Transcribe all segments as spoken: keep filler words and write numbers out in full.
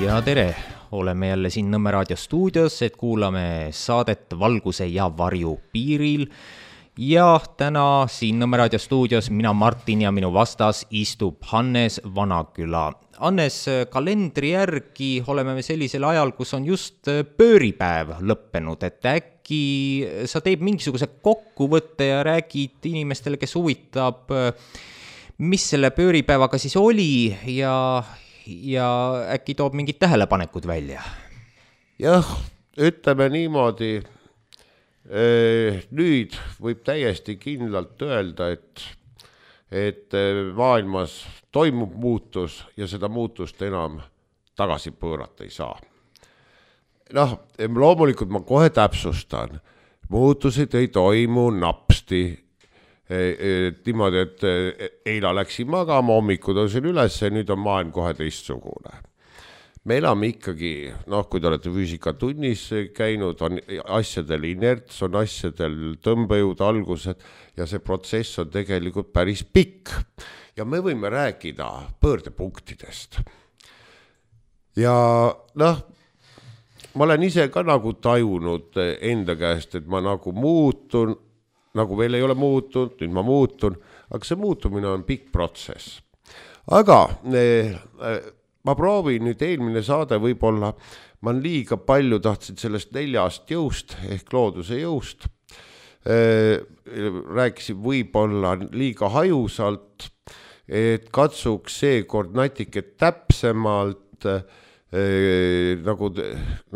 Ja tere, oleme jälle siin Nõmme raadio stuudios, et kuulame saadet Valguse ja varju piiril. Ja täna siin Nõmme raadio stuudios mina Martin ja minu vastas istub Hannes Vanaküla. Hannes, kalendri järgi oleme me sellisel ajal, kus on just pööripäev lõppenud, et äkki sa teeb mingisuguse kokkuvõtte ja räägid inimestele, kes huvitab, mis selle pööripäevaga siis oli ja, ja äkki toob mingid tähelepanekud välja? Jah, ütleme niimoodi, nüüd võib täiesti kindlalt öelda, et, et maailmas toimub muutus ja seda muutust enam tagasi pöörata ei saa. Noh, loomulikult ma kohe täpsustan, muutused ei toimu napsti, niimoodi, et eila läksin magama, hommikud on siin üles ja nüüd on maailm kohe teistsugune. Me elame ikkagi, noh, kui te olete füüsikatunnis käinud, on asjadel inerts, on asjadel tõmbejõud, algused ja see protsess on tegelikult päris pikk. Ja me võime rääkida pöördepunktidest. Ja noh, ma olen ise ka nagu tajunud enda käest, et ma nagu muutun, nagu veel ei ole muutunud, nüüd ma muutun, aga see muutumine on pikk protsess. Aga ma proovin nüüd eelmine saade võib-olla, ma liiga palju tahtsin sellest neljast jõust ehk looduse jõust. Rääkisin võib-olla liiga hajusalt, et katsuks seekord natuke täpsemalt nagu,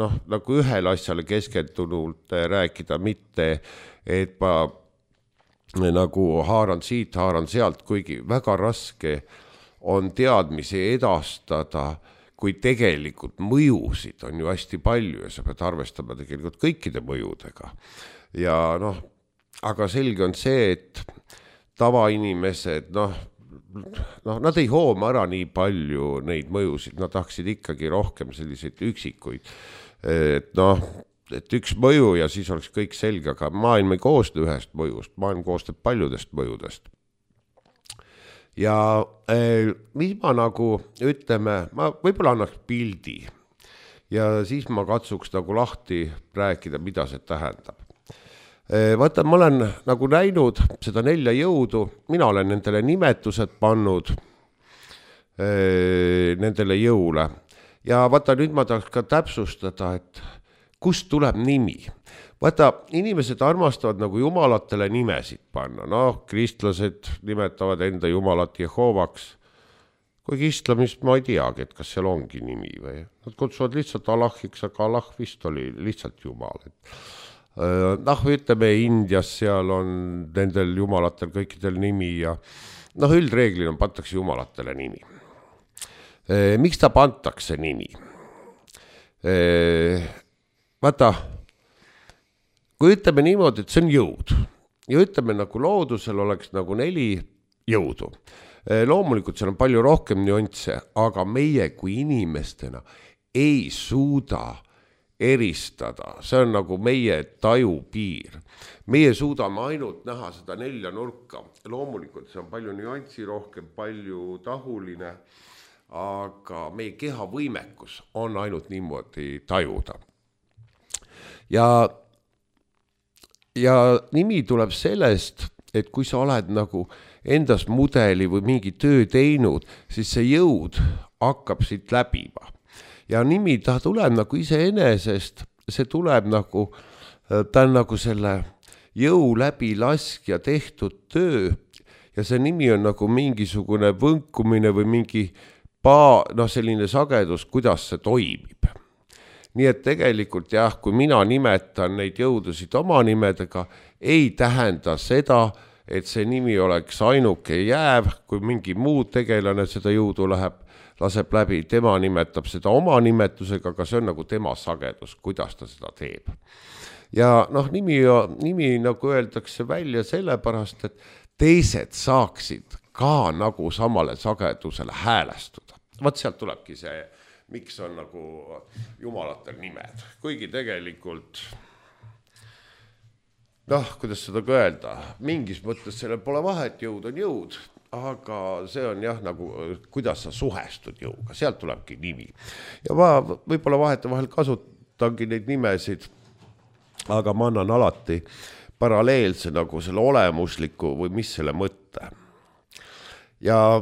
noh, nagu ühele asjale keskendunult rääkida, mitte et ma nagu haaran siit, haaran sealt, kuigi väga raske on teadmisi edastada, kui tegelikult mõjusid on ju hästi palju ja sa pead arvestama tegelikult kõikide mõjudega. Ja noh, aga selge on see, et tavainimesed, noh, noh, nad ei hooma ära nii palju neid mõjusid, nad tahaksid ikkagi rohkem selliseid üksikuid. Et noh, et üks mõju ja siis oleks kõik selge, aga maailm ei koosne ühest mõjust, maailm koosneb paljudest mõjudest. Ja eh, mis ma nagu ütleme, ma võib-olla annaks pildi ja siis ma katsuks nagu lahti rääkida, mida see tähendab. Eh, vaata, ma olen nagu näinud seda nelja jõudu, mina olen nendele nimetused pannud eh, nendele jõule. Ja vaata, nüüd ma tahaks ka täpsustada, et kust tuleb nimi. Vaata, inimesed armastavad nagu jumalatele nimesid panna. Noh, kristlased nimetavad enda jumalat Jehovaks. Kui islamist ma ei teagi, et kas seal ongi nimi või. Nad kutsuvad lihtsalt Allahiks, aga Allah vist oli lihtsalt jumal. Noh, ütleme, Indias seal on nendel jumalatel kõikidel nimi ja noh, üldreeglina pantakse jumalatele nimi. Miks ta pantakse nimi? Vaata, kui ütleme niimoodi, et see on jõud ja ütleme nagu loodusel oleks nagu neli jõudu. Loomulikult seal on palju rohkem nüansse, aga meie kui inimestena ei suuda eristada. See on nagu meie taju piir. Meie suudame ainult näha seda nelja nurka. Loomulikult see on palju nüanssi rohkem, palju tahuline, aga meie keha võimekus on ainult niimoodi tajuda. Ja Ja nimi tuleb sellest, et kui sa oled nagu endas mudeli või mingi töö teinud, siis see jõud hakkab siit läbima. Ja nimi ta tuleb nagu iseenesest, see tuleb nagu, ta on nagu selle jõu läbi laskja tehtud töö ja see nimi on nagu mingisugune võnkumine või mingi paa, no selline sagedus, kuidas see toimib. Nii et tegelikult jah, kui mina nimetan neid jõudusid oma nimedega, ei tähenda seda, et see nimi oleks ainuke jääv, kui mingi muu tegelane seda jõudu läheb, laseb läbi, tema nimetab seda oma nimetusega, aga see on nagu tema sagedus, kuidas ta seda teeb. Ja noh, nimi, nimi nagu öeldakse välja sellepärast, et teised saaksid ka nagu samale sagedusele häälestuda. Vaat sealt tulebki see, miks on nagu jumalatel nimed. Kuigi tegelikult, noh, kuidas seda öelda, mingis mõttes sellel pole vahet, jõud on jõud, aga see on jah, nagu kuidas sa suhestud jõuga, sealt tulebki nimi. Ja ma võib-olla vahete vahel kasutangi neid nimesid, aga ma annan alati paralleelse nagu selle olemusliku või mis selle mõtte. Ja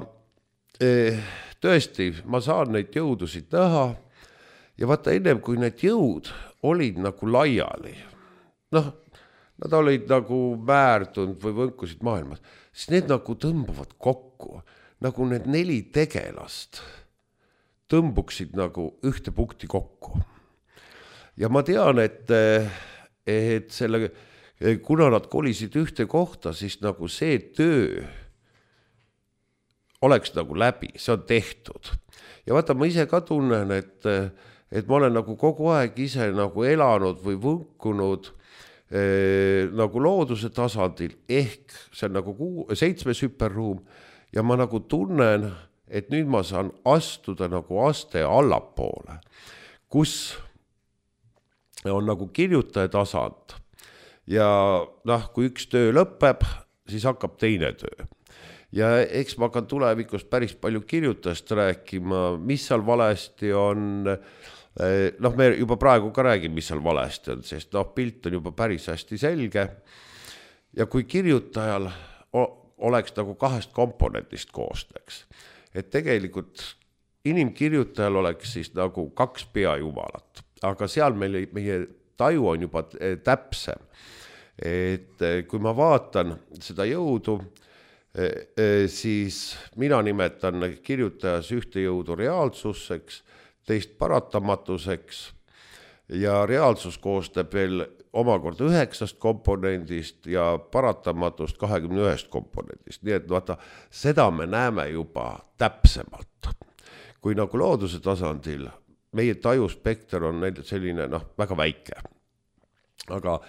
eh, tõesti, ma saan neid jõudusid näha ja vaata ennem kui need jõud olid nagu laiali, noh, nad olid nagu määrdunud või võnkusid maailmas, siis need nagu tõmbuvad kokku, nagu need neli tegelast tõmbuksid nagu ühte punkti kokku. Ja ma tean, et, et selle, kuna nad kolisid ühte kohta, siis nagu see töö oleks nagu läbi, see on tehtud. Ja vaata, ma ise ka tunnen, et, et ma olen nagu kogu aeg ise nagu elanud või võnkunud eh, nagu looduse tasandil, ehk see on nagu kuu, seitsmes hüperruum ja ma nagu tunnen, et nüüd ma saan astuda nagu aste allapoole, kus on nagu kirjutaja tasand ja noh, kui üks töö lõpeb, siis hakkab teine töö. Ja eks ma hakkan tulevikus päris palju kirjutajast rääkima, mis seal valesti on, noh me juba praegu ka räägime, mis seal valesti on, sest noh, pilt on juba päris hästi selge ja kui kirjutajal oleks nagu kahest komponentist koosteks, et tegelikult inimkirjutajal oleks siis nagu kaks peajumalat, aga seal meil, meie taju on juba täpsem, et kui ma vaatan seda jõudu, siis mina nimetan kirjutajas ühte jõudu reaalsuseks, teist paratamatuseks ja reaalsus koostab veel omakorda üheksast komponendist ja paratamatust kahekümne ühest komponendist. Nii et vaata, seda me näeme juba täpsemalt. Kui nagu looduse tasandil meie tajuspekter on selline noh, väga väike. Aga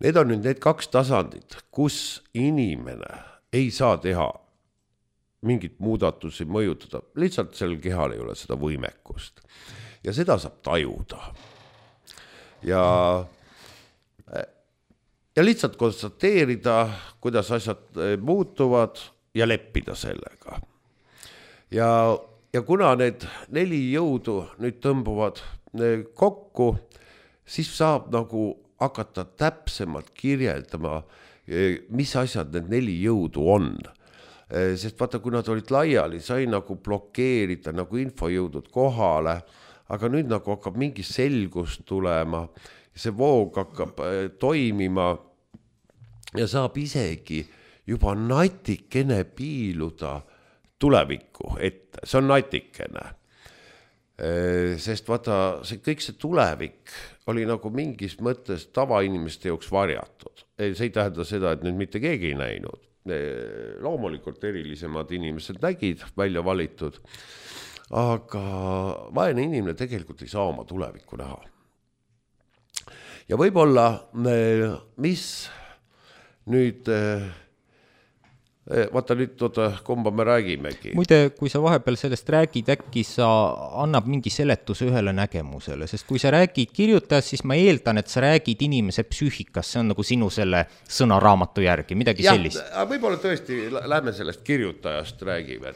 need on nüüd need kaks tasandit, kus inimene ei saa teha mingit muudatusi mõjutada, lihtsalt sellel kehal ei ole seda võimekust. Ja seda saab tajuda. Ja, ja lihtsalt konstateerida, kuidas asjad muutuvad ja leppida sellega. Ja, ja kuna need neli jõudu nüüd tõmbuvad kokku, siis saab nagu hakata täpsemalt kirjeldama, mis asjad need neli jõudu on. Sest vaata, kui nad olid laiali, sai nagu blokeerida nagu infojõudud kohale, aga nüüd nagu hakkab mingi selgus tulema, see voog hakkab toimima ja saab isegi juba natikene piiluda tulevikku ette. See on natikene. Sest vaata, see, kõik see tulevik oli nagu mingis mõttes tavainimeste jooks varjatud. See ei tähenda seda, et nüüd mitte keegi ei näinud. Loomulikult erilisemad inimesed nägid välja valitud, aga vaene inimene tegelikult ei saa oma tulevikku näha. Ja võib-olla, mis nüüd, vaata nüüd oota, kumba me räägimegi. Muide, kui sa vahepeal sellest räägid, äkki sa annab mingi seletuse ühele nägemusele, sest kui sa räägid kirjutajast, siis ma eeldan, et sa räägid inimese psüühikast, see on nagu sinu selle sõnaraamatu järgi, midagi ja, sellist. Võib-olla tõesti, lähme sellest kirjutajast räägime.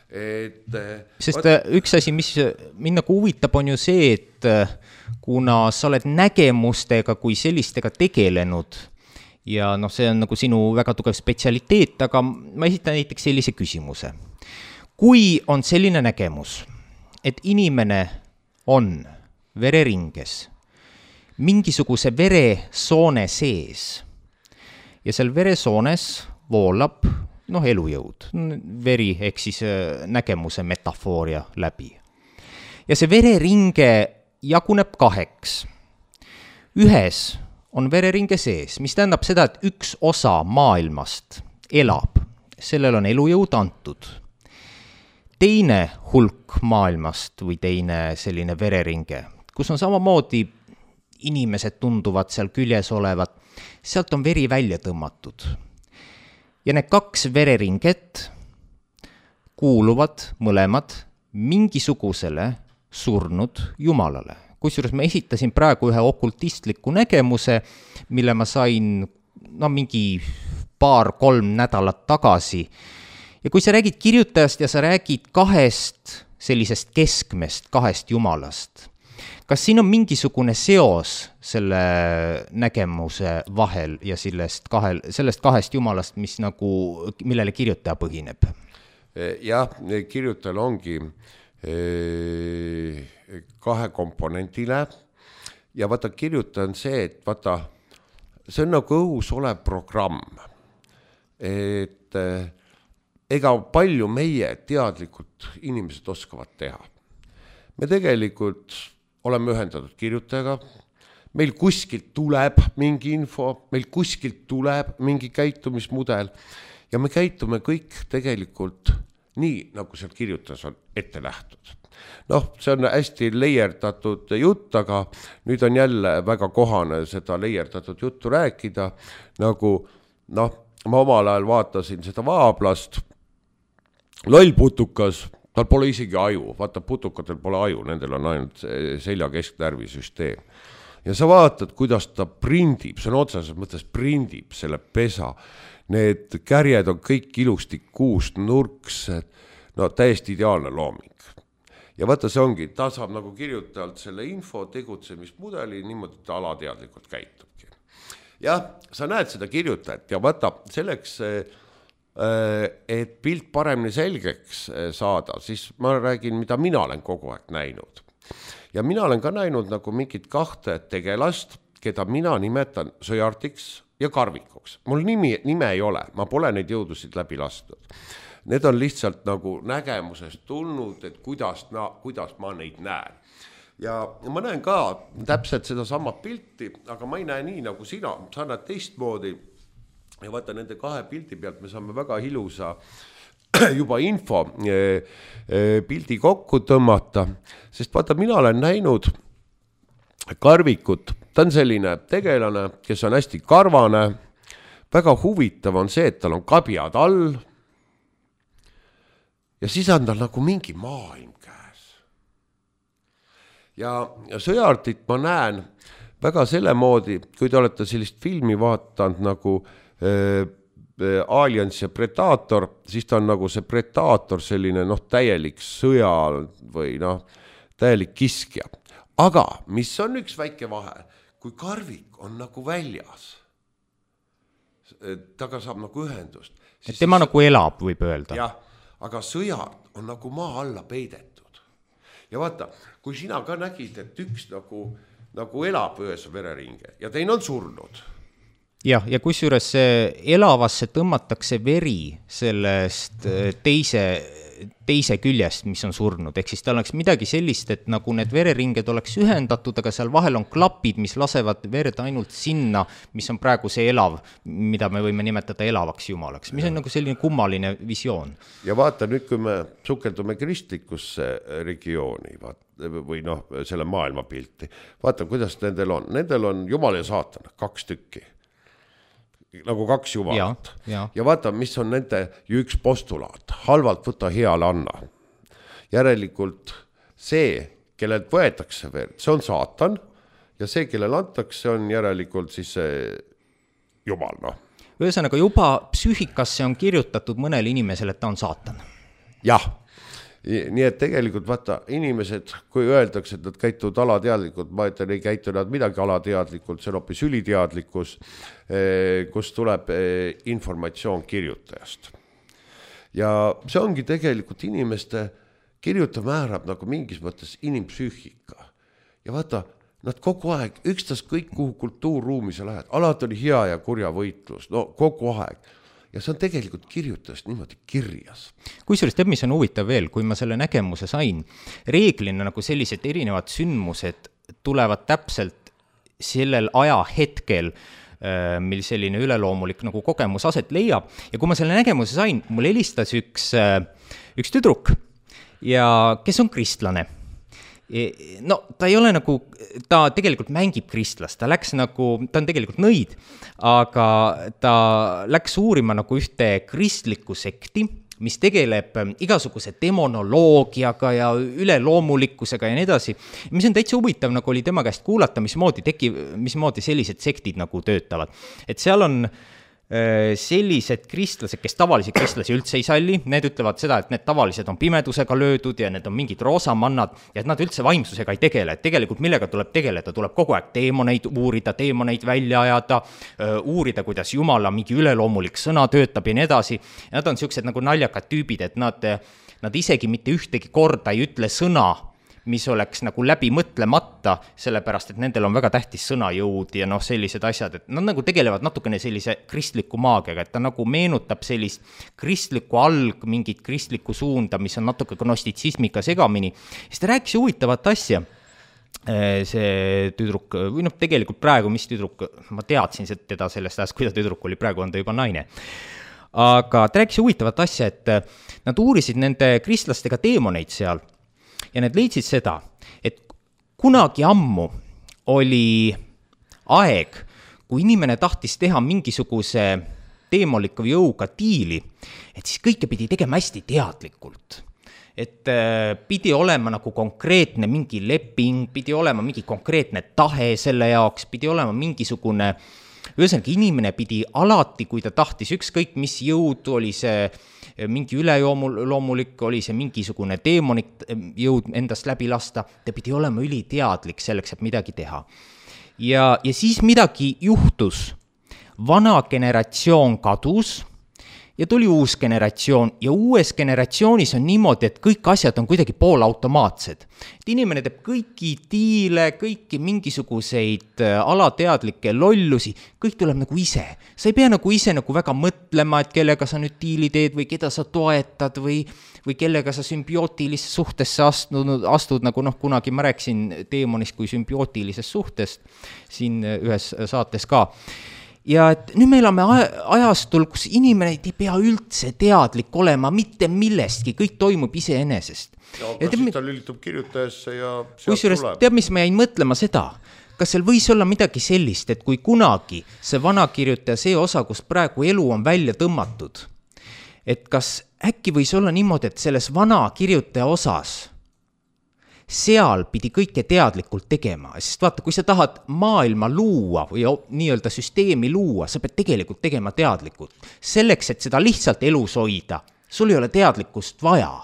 Et, sest vaat... üks asi, mis mind nagu huvitab, on ju see, et kuna sa oled nägemustega kui sellistega tegelenud, ja noh, see on nagu sinu väga tugev spetsialiteet, aga ma esitan näiteks sellise küsimuse. Kui on selline nägemus, et inimene on vereringes mingisuguse veresoone sees ja seal veresoones voolab noh, elujõud, veri ehk siis nägemuse metafooria läbi. Ja see vereringe jaguneb kaheks. Ühes on vereringe sees, mis tähendab seda, et üks osa maailmast elab, sellel on elujõud antud. Teine hulk maailmast või teine selline vereringe, kus on samamoodi inimesed tunduvad seal küljes olevat, sealt on veri välja tõmmatud. Ja need kaks vereringet kuuluvad mõlemad mingisugusele surnud jumalale. Kusjuures ma esitasin praegu ühe okultistliku nägemuse, mille ma sain no, mingi paar-kolm nädalat tagasi. ja kui sa räägid kirjutajast ja sa räägid kahest sellisest keskmest, kahest jumalast, kas siin on mingisugune seos selle nägemuse vahel ja sellest, kahel, sellest kahest jumalast, mis nagu, millele kirjutaja põhineb? Jah, kirjutajal ongi kahe komponendile ja vaata, kirjutaja on see, et vaata, see on nagu õhus olev programm, et ega palju meie teadlikult inimesed oskavad teha. Me tegelikult oleme ühendatud kirjutajaga, meil kuskilt tuleb mingi info, meil kuskilt tuleb mingi käitumismudel ja me käitume kõik tegelikult nii, nagu seal kirjutajas on ette nähtud. Noh, see on hästi leierdatud jutt, aga nüüd on jälle väga kohane seda leierdatud juttu rääkida, nagu noh, ma omal ajal vaatasin seda Vaablast, loll putukas, tal pole isegi aju, vaata putukatel pole aju, nendel on ainult selja kesknärvisüsteem. Ja sa vaatad, kuidas ta prindib, see on otseses mõttes prindib selle pesa. Need kärjed on kõik ilusti kuust, nurksed, no täiesti ideaalne looming. Ja vaata, see ongi, ta saab nagu kirjutajalt selle info tegutsemismudeli, niimoodi ta alateadlikult käitubki. Jah, sa näed seda kirjutajat ja vaata, selleks et pilt paremini selgeks saada, siis ma räägin, mida mina olen kogu aeg näinud. Ja mina olen ka näinud nagu mingit kahte tegelast, keda mina nimetan Sõjartiks ja Karvikuks. Mul nimi, nime ei ole, ma pole neid jõudusid läbi lastud. Need on lihtsalt nagu nägemusest tulnud, et kuidas, na, kuidas ma neid näen. Ja ma näen ka täpselt seda sama pilti, aga ma ei näe nii nagu sina, sa näed teistmoodi. Ja vaata, nende kahe pildi pealt me saame väga ilusa juba info pildi kokku tõmmata, sest vaata, mina olen näinud Karvikut, ta on selline tegelane, kes on hästi karvane, väga huvitav on see, et tal on kabjad all ja siis on tal nagu mingi maailm käes. Ja, ja Sõjartit ma näen väga selle moodi, kui te olete sellist filmi vaatanud nagu Aliens ja Predator, siis ta on nagu see Predator, selline noh, täielik sõja või noh, täielik kiskja. Aga mis on üks väike vahe, kui Karvik on nagu väljas, taga saab nagu ühendust. Et tema nagu elab, võib öelda. Jah, aga Sõjart on nagu maa alla peidetud. Ja vaata, kui sina ka nägid, et üks nagu, nagu elab ühes vereringe ja teine on surnud, jah, ja kusjuures elavasse tõmmatakse veri sellest teise, teise küljest, mis on surnud. Ehk siis tal oleks midagi sellist, et nagu need vereringed oleks ühendatud, aga seal vahel on klapid, mis lasevad verd ainult sinna, mis on praegu see elav, mida me võime nimetada elavaks jumalaks. Mis on nagu selline kummaline visioon. Ja vaata nüüd, kui me sukeldume kristlikusse regiooni vaata, või noh, selle maailmapilti, vaata, kuidas nendel on. Nendel on jumal ja saatan, kaks tükki. Nagu kaks jumalat. Ja, ja. ja vaata, mis on nende ju üks postulaat. Halvalt võta heale anna. Järelikult see, kellelt võetakse veel, see on saatan ja see, kellel antakse, on järelikult siis see jumal. No. Ühesõnaga juba psüühikasse on kirjutatud mõnele inimesele, et ta on saatan. Jah. Nii et tegelikult vaata, inimesed, kui öeldakse, et nad käituvad alateadlikult, ma ütlen, ei käitu nad midagi alateadlikult, see on hoopis üliteadlikkus, kus tuleb informatsioon kirjutajast. Ja see ongi tegelikult inimeste, kirjuta määrab nagu mingis mõttes inimpsüühika. Ja vaata, nad kogu aeg, ükstas kõik, kuhu kultuurruumi sa lähed, alati oli hea ja kurja võitlus, no kogu aeg. Ja see on tegelikult kirjutajast niimoodi kirjas. Kusjuures teab, mis on huvitav veel, kui ma selle nägemuse sain, reeglina nagu sellised erinevad sündmused tulevad täpselt sellel ajahetkel, mil selline üleloomulik nagu kogemus aset leiab. Ja kui ma selle nägemuse sain, mul helistas üks, üks tüdruk, ja kes on kristlane. No ta ei ole nagu, ta tegelikult mängib kristlast, ta läks nagu, ta on tegelikult nõid, aga ta läks uurima nagu ühte kristlikku sekti, mis tegeleb igasuguse demonoloogiaga ja üleloomulikkusega ja nii edasi. Mis on täitsa huvitav, nagu oli tema käest kuulata, mismoodi, teki, mismoodi sellised sektid nagu töötavad. Et seal on sellised kristlased, kes tavalisi kristlasi üldse ei salli, need ütlevad seda, et need tavalised on pimedusega löödud ja need on mingid roosamannad ja et nad üldse vaimsusega ei tegele, et tegelikult millega tuleb tegeleda, tuleb kogu aeg teemoneid uurida, teemoneid välja ajada, uurida, kuidas Jumala mingi üleloomulik sõna töötab ja nii edasi. Nad on niisugused nagu naljakad tüübid, et nad, nad isegi mitte ühtegi korda ei ütle sõna, mis oleks nagu läbi mõtlemata, sellepärast, et nendel on väga tähtis sõnajõud ja noh, sellised asjad, et nad nagu tegelevad natukene sellise kristliku maagiaga, et ta nagu meenutab sellist kristlikku alg, mingit kristlikku suunda, mis on natuke gnostitsismiga segamini. Siis ta rääkis huvitavat asja, see tüdruk, või noh, tegelikult praegu, mis tüdruk, ma teadsin teda sellest ajast, kui ta tüdruk oli, praegu on ta juba naine. Aga ta rääkis huvitavat asja, et nad uurisid nende kristlastega teemoneid seal, ja need leidsid seda, et kunagi ammu oli aeg, kui inimene tahtis teha mingisuguse teemoliku jõuga diili, et siis kõike pidi tegema hästi teadlikult. Et pidi olema nagu konkreetne mingi leping, pidi olema mingi konkreetne tahe selle jaoks, pidi olema mingisugune, ühesõnaga inimene pidi alati, kui ta tahtis ükskõik mis jõud, oli see mingi üleloomulik, oli see mingisugune teemonik jõud endast läbi lasta, ta pidi olema üliteadlik selleks, et midagi teha. Ja, ja siis midagi juhtus, vana generatsioon kadus ja tuli uus generatsioon ja uues generatsioonis on niimoodi, et kõik asjad on kuidagi poolautomaatsed. Et inimene teeb kõiki diile, kõiki mingisuguseid alateadlikke lollusi, kõik tuleb nagu ise. Sa ei pea nagu ise nagu väga mõtlema, et kellega sa nüüd diili teed või keda sa toetad või, või kellega sa sümbiootilisse suhtesse astud, astud, nagu noh, kunagi ma rääkisin teemonist kui sümbiootilisest suhtest siin ühes saates ka. Ja et nüüd me elame ajastul, kus inimene ei pea üldse teadlik olema mitte millestki, kõik toimub iseenesest. Ja, aga siis ta lülitub kirjutajasse ja sealt tuleb. Teab, mis ma jäin mõtlema seda, kas seal võis olla midagi sellist, et kui kunagi see vanakirjutaja, see osa, kus praegu elu on välja tõmmatud, et kas äkki võis olla niimoodi, et selles vanakirjutaja osas seal pidi kõike teadlikult tegema, sest vaata, kui sa tahad maailma luua või nii-öelda süsteemi luua, sa pead tegelikult tegema teadlikult. Selleks, et seda lihtsalt elus hoida, sul ei ole teadlikkust vaja.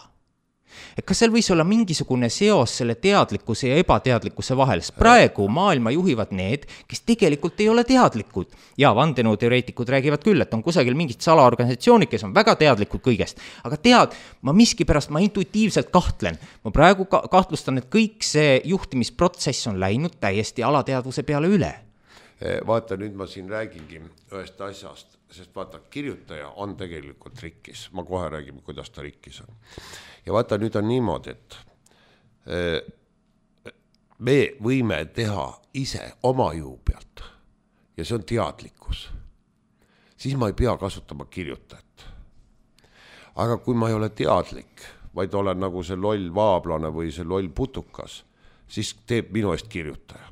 Et kas seal võis olla mingisugune seos selle teadlikkuse ja ebateadlikkuse vahel, sest praegu maailma juhivad need, kes tegelikult ei ole teadlikud. Ja vandenõuteoreetikud räägivad küll, et on kusagil mingid salaorganisatsioonid, kes on väga teadlikud kõigest. Aga tead, ma miski pärast, ma intuitiivselt kahtlen. Ma praegu kahtlustan, et kõik see juhtimisprotsess on läinud täiesti alateadvuse peale üle. Vaata, nüüd ma siin räägingi ühest asjast, sest vaata, kirjutaja on tegelikult rikkis. Ma kohe räägime, kuidas ta rikkis on. Ja vaata, nüüd on niimoodi, et me võime teha ise oma jõu pealt ja see on teadlikkus. Siis ma ei pea kasutama kirjutajat. Aga kui ma ei ole teadlik, vaid olen nagu see loll vaablane või see loll putukas, siis teeb minu eest kirjutaja.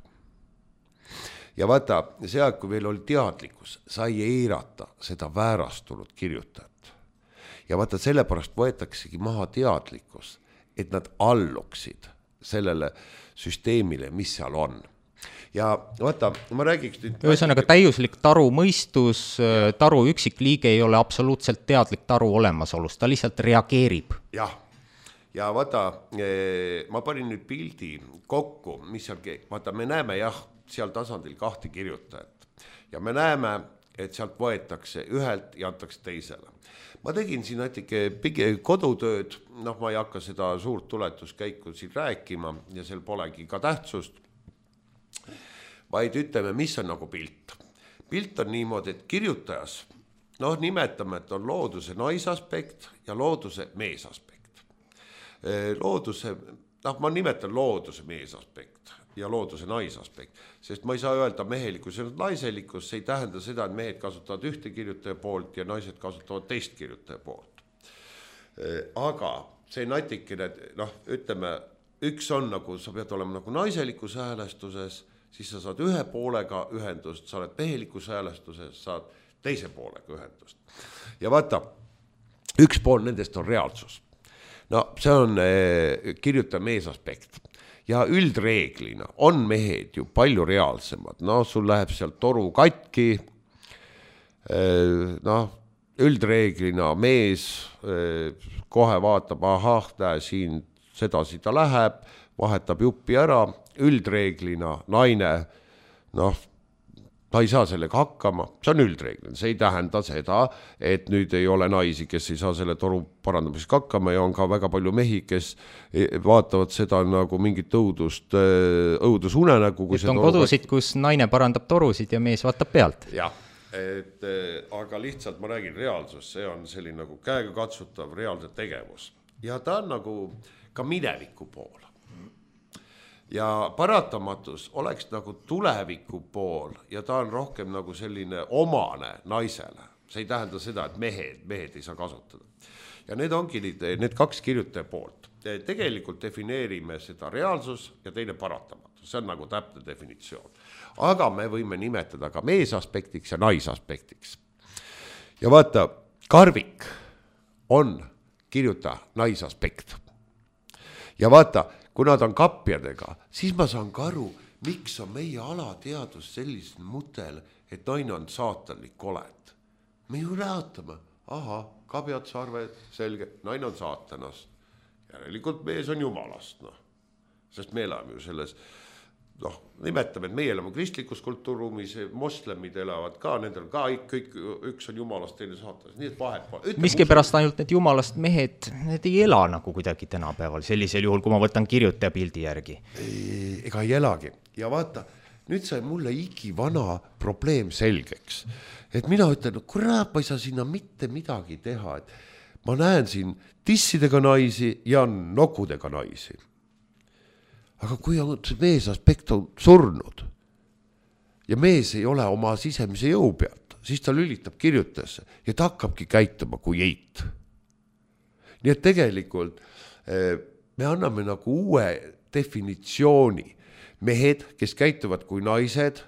Ja vaata, see aeg, kui meil oli teadlikkus, sai eirata seda väärastunud kirjutajat. Ja vaata, sellepärast võetaksegi maha teadlikkus, et nad alluksid sellele süsteemile, mis seal on. Ja vaata, ma räägiks nüüd... Ühesõnaga täiuslik taru mõistus, taru üksik liige ei ole absoluutselt teadlik taru olemasolust, ta lihtsalt reageerib. Jah, ja vaata, ma panin nüüd pildi kokku, mis seal, vaata, me näeme jah, seal tasandil kahte kirjutajat ja me näeme, et sealt võetakse ühelt ja antakse teisele. Ma tegin siin natuke kodutööd, noh, ma ei hakka seda suurt tuletuskäiku siin rääkima ja seal polegi ka tähtsust, vaid ütleme, mis on nagu pilt. Pilt on niimoodi, et kirjutajas, noh, nimetame, et on looduse naisaspekt ja looduse meesaspekt. Looduse, noh, ma nimetan looduse meesaspekt ja looduse naisaspekt, sest ma ei saa öelda mehelikkus ja naiselikkus, see ei tähenda seda, et mehed kasutavad ühte kirjutaja poolt ja naised kasutavad teist kirjutaja poolt. Aga see natikene, noh, ütleme, üks on nagu, sa pead olema nagu naiselikus häälestuses, siis sa saad ühe poolega ühendust, sa oled mehelikus häälestuses, saad teise poolega ühendust. Ja vaata, üks pool nendest on reaalsus. No see on eh, kirjutaja meesaspekt. Ja üldreeglina on mehed ju palju reaalsemad. No sul läheb seal toru katki, noh, üldreeglina mees kohe vaatab, ahah, näe siin sedasi ta läheb, vahetab juppi ära, üldreeglina naine, noh, ta ei saa sellega hakkama, see on üldreeglina, see ei tähenda seda, et nüüd ei ole naisi, kes ei saa selle toru parandamiseks hakkama ja on ka väga palju mehi, kes vaatavad seda nagu mingit õudust, õudusunenägu. Et on kodusid, kus naine parandab torusid ja mees vaatab pealt. Jah, et, aga lihtsalt ma räägin reaalsus, see on selline nagu käega katsutav reaalne tegevus ja ta on nagu ka mineviku pool. Ja paratamatus oleks nagu tuleviku pool ja ta on rohkem nagu selline omane naisele. See ei tähenda seda, et mehed, mehed ei saa kasutada. Ja need ongi need, need kaks kirjutaja poolt. Tegelikult defineerime seda reaalsus ja teine paratamatus. See on nagu täpne definitsioon. Aga me võime nimetada ka meesaspektiks ja naisaspektiks. Ja vaata, Karvik on kirjuta naisaspekt. Ja vaata, kui nad on kapjadega, siis ma saan ka aru, miks on meie alateadus selline mutel, et naine on saatanlik olend. Me ju räätame, aha, kabjad sarved, selge, naine on saatanast. Järelikult mees on jumalast, noh. Sest me elame ju selles, noh, nimetame, et meie elame kristlikus kultuuruumis, moslemid elavad ka, nendel ka kõik, üks on jumalast, teine saatanast, nii et vahet. Miski pärast ainult need jumalast mehed, need ei ela nagu kuidagi tänapäeval, sellisel juhul, kui ma võtan kirjutaja pildi järgi. Ega ei elagi. Ja vaata, nüüd sai mulle iki vana probleem selgeks. Et mina ütlen, no kurat, ma ei saa sinna mitte midagi teha. Et ma näen siin tissidega naisi ja nokudega naisi. Aga kui on mees aspekt on surnud ja mees ei ole oma sisemise jõu pealt, siis ta lülitab kirjutajasse ja ta hakkabki käituma kui eit. Nii et tegelikult me anname nagu uue definitsiooni. Mehed, kes käituvad kui naised,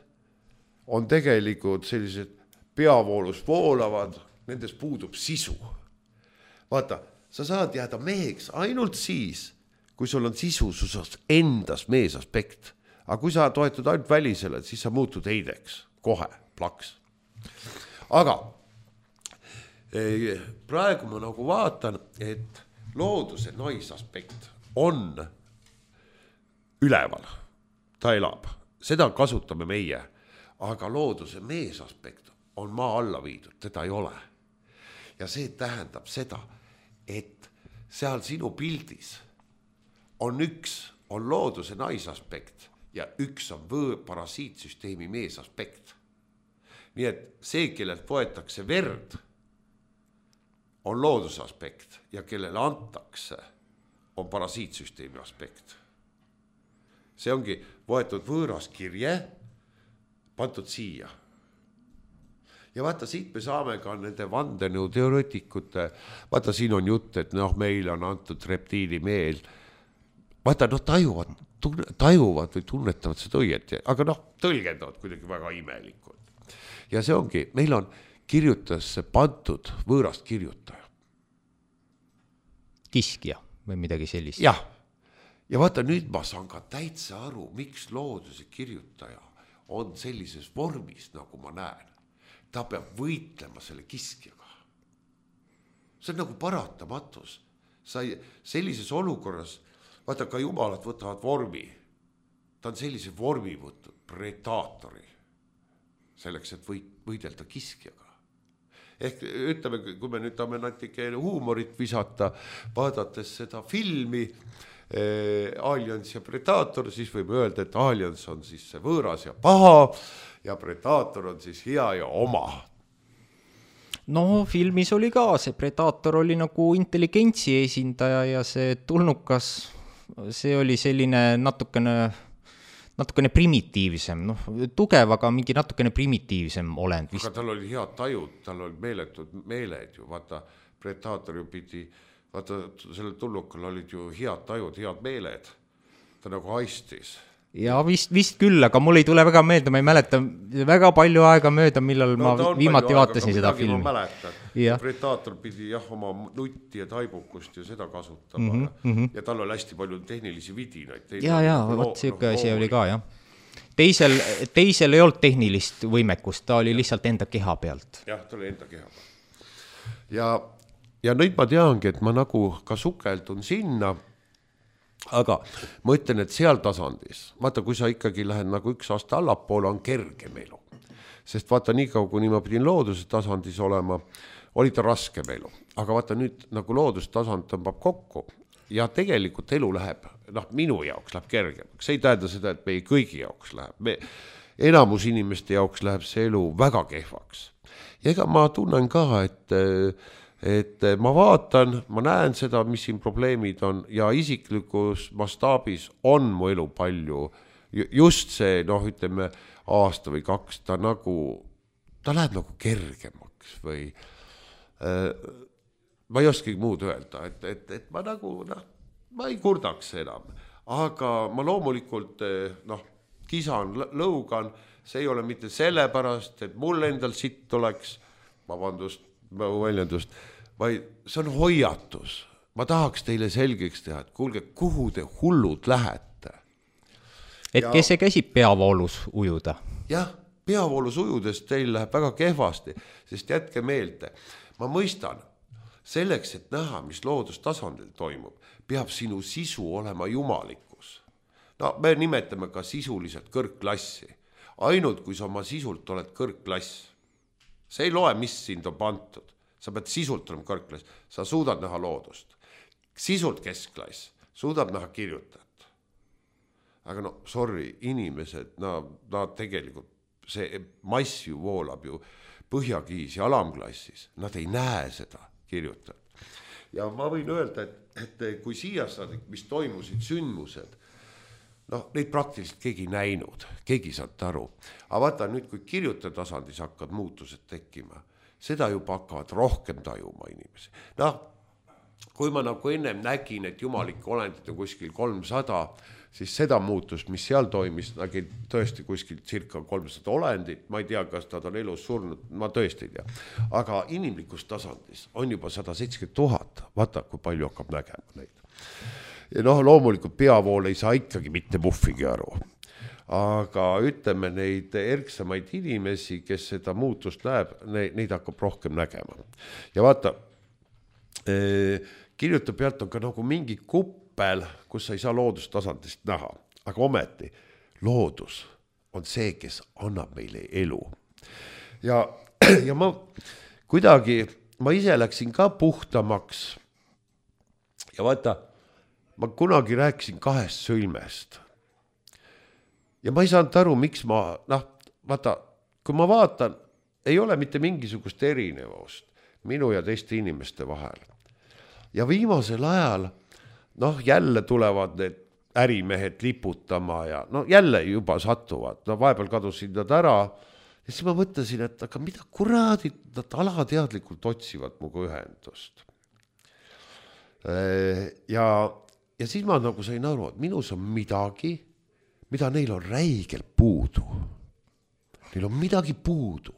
on tegelikult sellised peavoolus voolavad, nendes puudub sisu. Vaata, sa saad jääda meheks ainult siis, kui sul on sisusus endas mees aspekt. Aga kui sa toetud ainult välisele, siis sa muutud heideks. Kohe, plaks. Aga praegu ma nagu vaatan, et looduse naisaspekt on üleval. Ta elab. Seda kasutame meie. Aga looduse mees aspekt on maa alla viidud. Teda ei ole. Ja see tähendab seda, et seal sinu pildis on üks, on looduse naisaspekt ja üks on võõ parasiitsüsteemi meesaspekt. Nii et see, kellelt võetakse verd, on looduse aspekt ja kellele antakse, on parasiitsüsteemi aspekt. See ongi võetud võõras kirje, pandud siia. Ja vaata, siit me saame ka nende vandenõu teoreetikute, vaata, siin on jutt, et noh, meil on antud reptiili meel. Vaata, noh, tajuvad, tunne, tajuvad või tunnetavad seda õieti, aga noh, tõlgendavad kuidagi väga imelikult. Ja see ongi, meil on kirjutajasse pandud võõrast kirjutaja. Kiskja või midagi sellist. Jah, ja vaata, nüüd ma saan ka täitsa aru, miks looduse kirjutaja on sellises vormis, nagu ma näen. Ta peab võitlema selle kiskjaga. See on nagu paratamatus. Sa ei, sellises olukorras vaata, ka jumalad võtavad vormi. Ta on sellise vormi võtnud, predaatori, selleks, et võidelda kiskjaga. Ehk ütleme, kui me nüüd tahame natuke huumorit visata, vaadates seda filmi eh, Aliens ja Predator, siis võib öelda, et Aliens on siis see võõras ja paha ja Predator on siis hea ja oma. No filmis oli ka, see Predator oli nagu intelligentsi esindaja ja see tulnukas, see oli selline natukene, natukene primitiivsem, noh, tugev, aga mingi natukene primitiivsem olend. Aga tal oli head tajud, tal oli meeletud meeled ju, vaata, Predator ju pidi, vaata, sellel tulnukal olid ju head tajud, head meeled, ta nagu haistis. Ja vist, vist küll, aga mul ei tule väga meelde, ma ei mäleta väga palju aega mööda, millal no, ma viimati vaatasin aega, seda filmi. Ma mäletan, ja. Predator pidi jah oma nutti ja taibukust ja seda kasutama mm -hmm, mm -hmm. ja tal oli hästi palju tehnilisi vidinaid. Ja, ja, võt siuke asi oli ka, jah. teisel, teisel ei olnud tehnilist võimekust, ta oli lihtsalt enda keha pealt. Jah, ta oli enda keha pealt. Ja, ja nüüd ma teangi, et ma nagu ka sukeldun sinna, aga ma ütlen, et seal tasandis, vaata, kui sa ikkagi lähed nagu üks aasta allapoole, on kergem elu. Sest vaata, nii kaua, kui ma pidin looduse tasandis olema, oli ta raske elu. Aga vaata nüüd nagu loodustasand tõmbab kokku ja tegelikult elu läheb, noh, minu jaoks läheb kergemaks. See ei tähenda seda, et meie kõigi jaoks läheb. Me, enamus inimeste jaoks läheb see elu väga kehvaks. Ja ega ma tunnen ka, et, et ma vaatan, ma näen seda, mis siin probleemid on ja isiklikus mastaabis on mu elu palju. Just see, noh, ütleme, aasta või kaks, ta nagu, ta läheb nagu kergemaks või ma ei oskagi muud öelda, et, et, et ma nagu, noh, ma ei kurdaks enam, aga ma loomulikult, noh, kisan, lõugan, see ei ole mitte sellepärast, et mul endal sitt oleks, vabandust, väljendust, vaid see on hoiatus. Ma tahaks teile selgeks teha, et kuulge, kuhu te hullud lähete. Et ja, kes see käsib peavoolus ujuda? Jah, peavoolus ujudes teil läheb väga kehvasti, sest jätke meelde, ma mõistan, selleks, et näha, mis loodustasandil toimub, peab sinu sisu olema jumalikkus. No, me nimetame ka sisuliselt kõrgklassi. Ainult, kui sa oma sisult oled kõrgklass. See ei loe, mis sind on pantud. Sa pead sisult olema kõrgklass. Sa suudad näha loodust. Sisult keskklass. Suudab näha kirjutajat. Aga no, sorry, inimesed, nad no, tegelikult, see mass ju voolab ju põhjakiis ja alamklassis. Nad ei näe seda kirjutajat. Ja ma võin öelda, et, et kui siia saadik, mis toimusid sündmused, noh, neid praktiliselt keegi näinud, keegi saad aru. Aga vaata nüüd, kui kirjutaja tasandis hakkavad muutused tekkima, seda juba hakkavad rohkem tajuma inimesi. Noh, kui ma nagu ennem nägin, et jumalik olendid on kuskil kolmsada, siis seda muutust, mis seal toimis, nägin tõesti kuskil circa kolmsada olendit, ma ei tea, kas nad on elus surnud, ma tõesti ei tea. Aga inimlikus tasandis on juba sada seitsekümmend tuhat, vaata, kui palju hakkab nägema neid. Ja noh, loomulikult peavool ei saa ikkagi mitte muffigi aru. Aga ütleme neid erksamaid inimesi, kes seda muutust läheb, neid hakkab rohkem nägema. Ja vaata, kirjutab pealt on ka nagu mingi kupp, kus sa ei saa loodustasandist näha. Aga ometi, loodus on see, kes annab meile elu. Ja, ja ma kuidagi, ma ise läksin ka puhtamaks. Ja vaata, ma kunagi rääkisin kahest sõlmest. Ja ma ei saanud aru, miks ma, noh, vaata, kui ma vaatan, ei ole mitte mingisugust erinevust minu ja teiste inimeste vahel. Ja viimasel ajal noh, jälle tulevad need ärimehed liputama ja no jälle juba satuvad. No vahepeal kadusid nad ära. Ja siis ma mõtlesin, et aga mida kuradid, nad alateadlikult otsivad muga ühendust. Ja, ja siis ma nagu sain aru, et minus on midagi, mida neil on räigelt puudu. Neil on midagi puudu.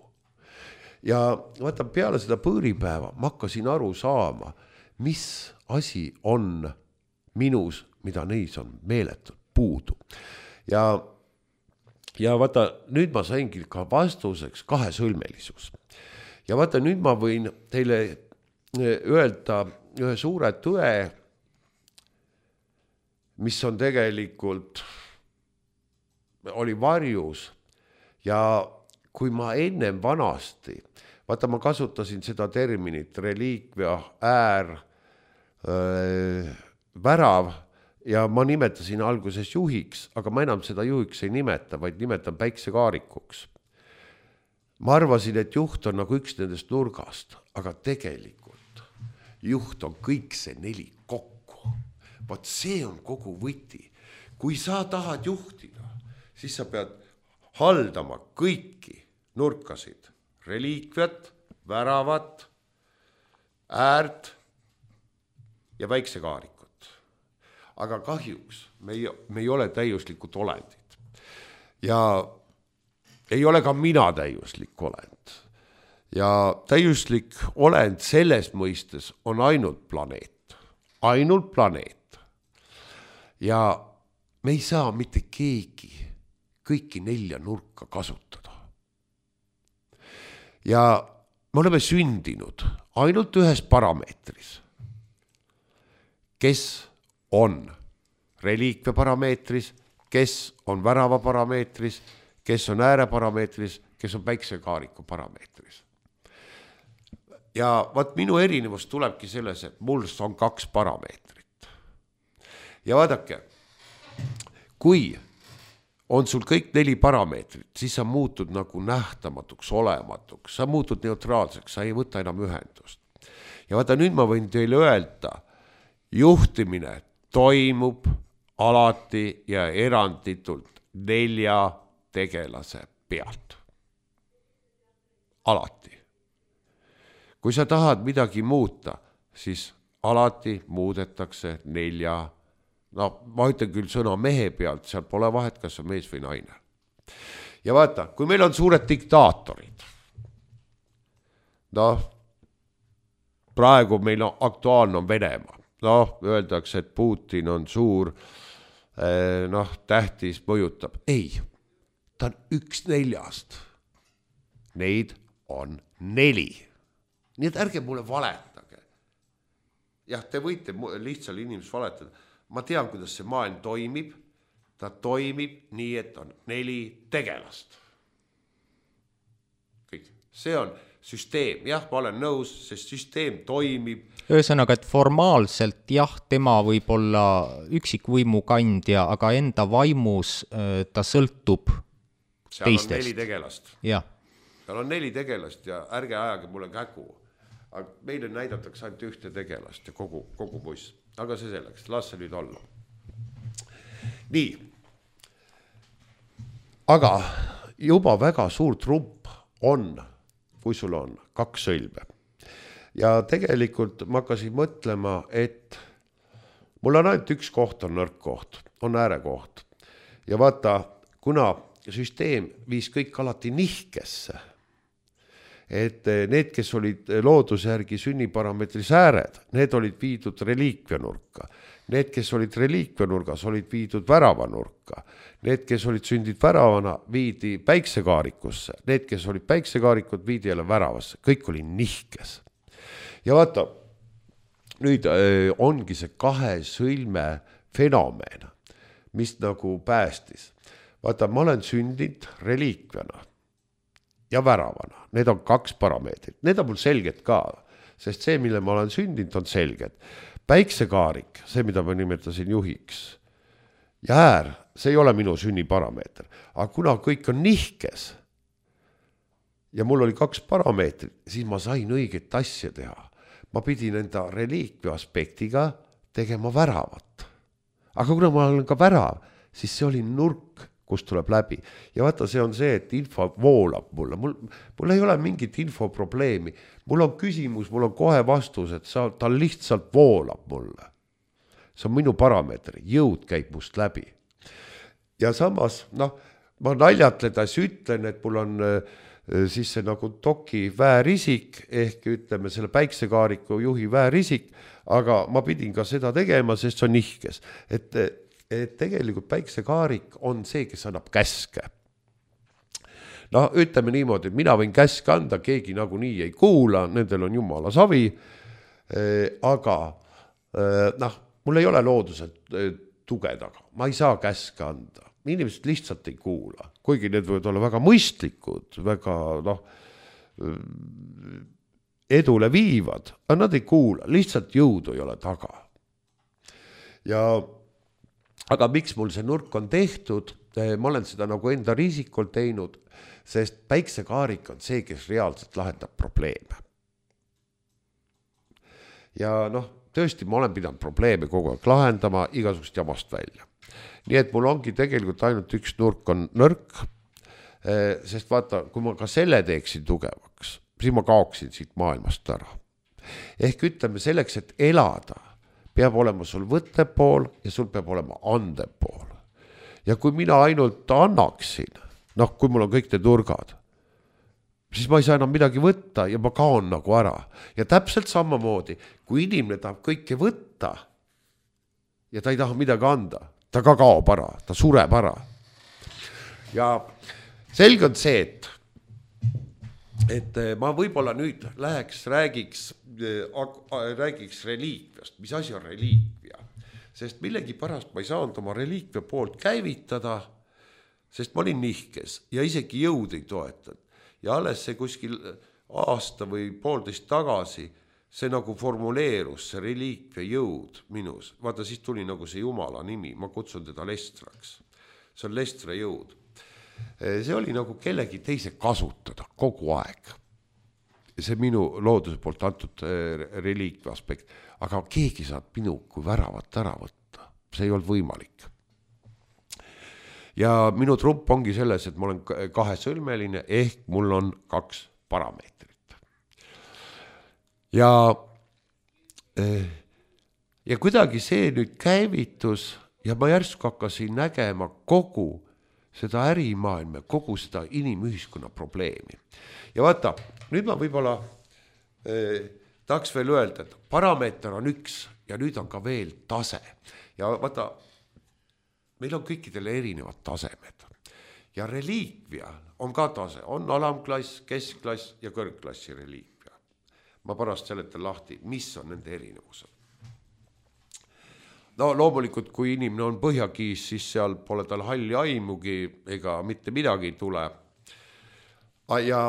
Ja vaata, peale seda põõripäeva ma hakkasin aru saama, mis asi on minus, mida neis on meeletult puudu. Ja, ja vaata, nüüd ma saingi ka vastuseks kahesõlmelisus. Ja vaata, nüüd ma võin teile öelda ühe suure tõe, mis on tegelikult, oli varjus. Ja kui ma ennem vanasti, vaata, ma kasutasin seda terminit, reliikvia, äär, öö, värav ja ma nimetasin alguses juhiks, aga ma enam seda juhiks ei nimeta, vaid nimetan päiksekaarikuks. Ma arvasin, et juht on nagu üks nendest nurgast, aga tegelikult juht on kõik see neli kokku. Vaat see on kogu võti. Kui sa tahad juhtida, siis sa pead haldama kõiki nurkasid, reliikviat, väravat, äärt ja päiksekaarik. Aga kahjuks me ei, me ei ole täiuslikud olendid. Ja ei ole ka mina täiuslik olend. Ja täiuslik olend selles mõistes on ainult planeet. Ainult planeet. Ja me ei saa mitte keegi kõiki nelja nurka kasutada. Ja me oleme sündinud ainult ühes parameetris, kes on reliikvia parameetris, kes on värava parameetris, kes on ääre parameetris, kes on päiksekaariku parameetris. Ja vaat minu erinevus tulebki selles, et mul on kaks parameetrit. Ja vaadake, kui on sul kõik neli parameetrit, siis sa muutud nagu nähtamatuks, olematuks, sa muutud neutraalseks, sa ei võta enam ühendust. Ja vaata, nüüd ma võin teile öelda, juhtimine toimub alati ja eranditult nelja tegelase pealt. Alati. Kui sa tahad midagi muuta, siis alati muudetakse nelja. No, ma ütlen küll sõna mehe pealt, seal pole vahet, kas on mees või naine. Ja vaata, kui meil on suured diktaatorid, noh, praegu meil on aktuaalne on Venemaa, noh, öeldakse, et Putin on suur, noh, tähtis mõjutab. Ei, ta on üks neljast. Neid on neli. Nii et ärge mulle valetage. Jah, te võite lihtsalt inimest valetada. Ma tean, kuidas see maailm toimib. Ta toimib nii, et on neli tegelast. Kõik. See on süsteem. Jah, ma olen nõus, see süsteem toimib. Ühesõnaga, et formaalselt jah, tema võib olla üksikvõimu kandja, aga enda vaimus ta sõltub seal teistest. Seal on neli tegelast. Ja. Seal on neli tegelast ja ärge ajage mulle kägu. Aga meile näidatakse ainult ühte tegelast ja kogu, kogu buss. Aga see selleks, las see nüüd olla. Nii. Aga juba väga suur trump on, kui sul on kaks sõlme. Ja tegelikult ma hakkasin mõtlema, et mul on ainult üks koht on nõrk koht, on äärekoht. Ja vaata, kuna süsteem viis kõik alati nihkesse, et need, kes olid looduse järgi sünniparameetris ääred, need olid viidud reliikvianurka. Need, kes olid reliikvianurgas, olid viidud väravanurka. Need, kes olid sündid väravana, viidi päiksekaarikusse. Need, kes olid päiksekaarikud, viidi jälle väravasse. Kõik oli nihkes. Ja vaata, nüüd ongi see kahe sõlme fenomen, mis nagu päästis. Vaata, ma olen sündinud reliikviana ja väravana. Need on kaks parameetrit. Need on mul selged ka, sest see, mille ma olen sündinud, on selged. Päiksekaarik, see, mida ma nimetasin juhiks, ja äär, see ei ole minu sünniparameeter. Aga kuna kõik on nihkes ja mul oli kaks parameetrit, siis ma sain õiget asja teha. Ma pidin enda reliikvia aspektiga tegema väravat. Aga kuna ma olen ka värav, siis see oli nurk, kus tuleb läbi. Ja vaata, see on see, et info voolab mulle. Mul, mul ei ole mingit infoprobleemi. Mul on küsimus, mul on kohe vastus, et sa, ta lihtsalt voolab mulle. See on minu parameeter. Jõud käib must läbi. Ja samas, noh, ma naljatledes ütlen, et mul on siis see nagu toki väärisik, ehk ütleme selle päiksekaariku juhi väärisik, aga ma pidin ka seda tegema, sest see on nihkes. Et et tegelikult päiksekaarik on see, kes annab käske. No ütleme niimoodi, et mina võin käske anda, keegi nagu nii ei kuula, nendel on jumala savi, aga noh, mul ei ole looduselt tuge taga, ma ei saa käske anda. Inimesed lihtsalt ei kuula, kuigi need võivad olla väga mõistlikud, väga noh, edule viivad, aga nad ei kuula, lihtsalt jõudu ei ole taga. Ja aga miks mul see nurk on tehtud, ma olen seda nagu enda riisikul teinud, sest päiksekaarik on see, kes reaalselt lahendab probleeme. Ja noh, tõesti ma olen pidanud probleeme kogu aeg lahendama igasugust jamast välja. Nii et mul ongi tegelikult ainult üks nurk on nõrk, sest vaata, kui ma ka selle teeksin tugevaks, siis ma kaoksin siit maailmast ära. Ehk ütleme selleks, et elada, peab olema sul võttepool ja sul peab olema andepool. Ja kui mina ainult annaksin, noh, kui mul on kõik need nurgad, siis ma ei saa enam midagi võtta ja ma kaon nagu ära. Ja täpselt samamoodi, kui inimene tahab kõike võtta ja ta ei taha midagi anda, ta ka kaob ära, ta sureb ära. ja selge on see, et et ma võib-olla nüüd läheks, räägiks, räägiks reliikviast, mis asi on reliikvia, sest millegi pärast ma ei saanud oma reliikvia poolt käivitada, sest ma olin nihkes ja isegi jõud ei toetanud ja alles see kuskil aasta või poolteist tagasi see nagu formuleerus, see reliikvia jõud minus, vaata siis tuli nagu see Jumala nimi, ma kutsun teda Lestraks, see on Lestra jõud. See oli nagu kellegi teise kasutada kogu aeg. See minu looduse poolt antud reliikvia aspekt, aga keegi saab minu kui väravat ära võtta. See ei olnud võimalik. Ja minu trump ongi selles, et ma olen kahesõlmeline ehk mul on kaks parameetrit. Ja, ja kuidagi see nüüd käivitus ja ma järsku hakkasin nägema kogu seda ärimaailma, kogu seda inimühiskonna probleemi. Ja vaata, nüüd ma võib-olla eh, tahaks veel öelda, et parameeter on üks ja nüüd on ka veel tase. Ja vaata, meil on kõikidele erinevad tasemed. Ja reliikvia on ka tase, on alamklass, keskklass ja kõrgklassi reliikvia. Ma pärast seletan lahti, mis on nende erinevused. No loomulikult, kui inimene on põhjakiis, siis seal pole tal halli aimugi ega mitte midagi ei tule. Ja,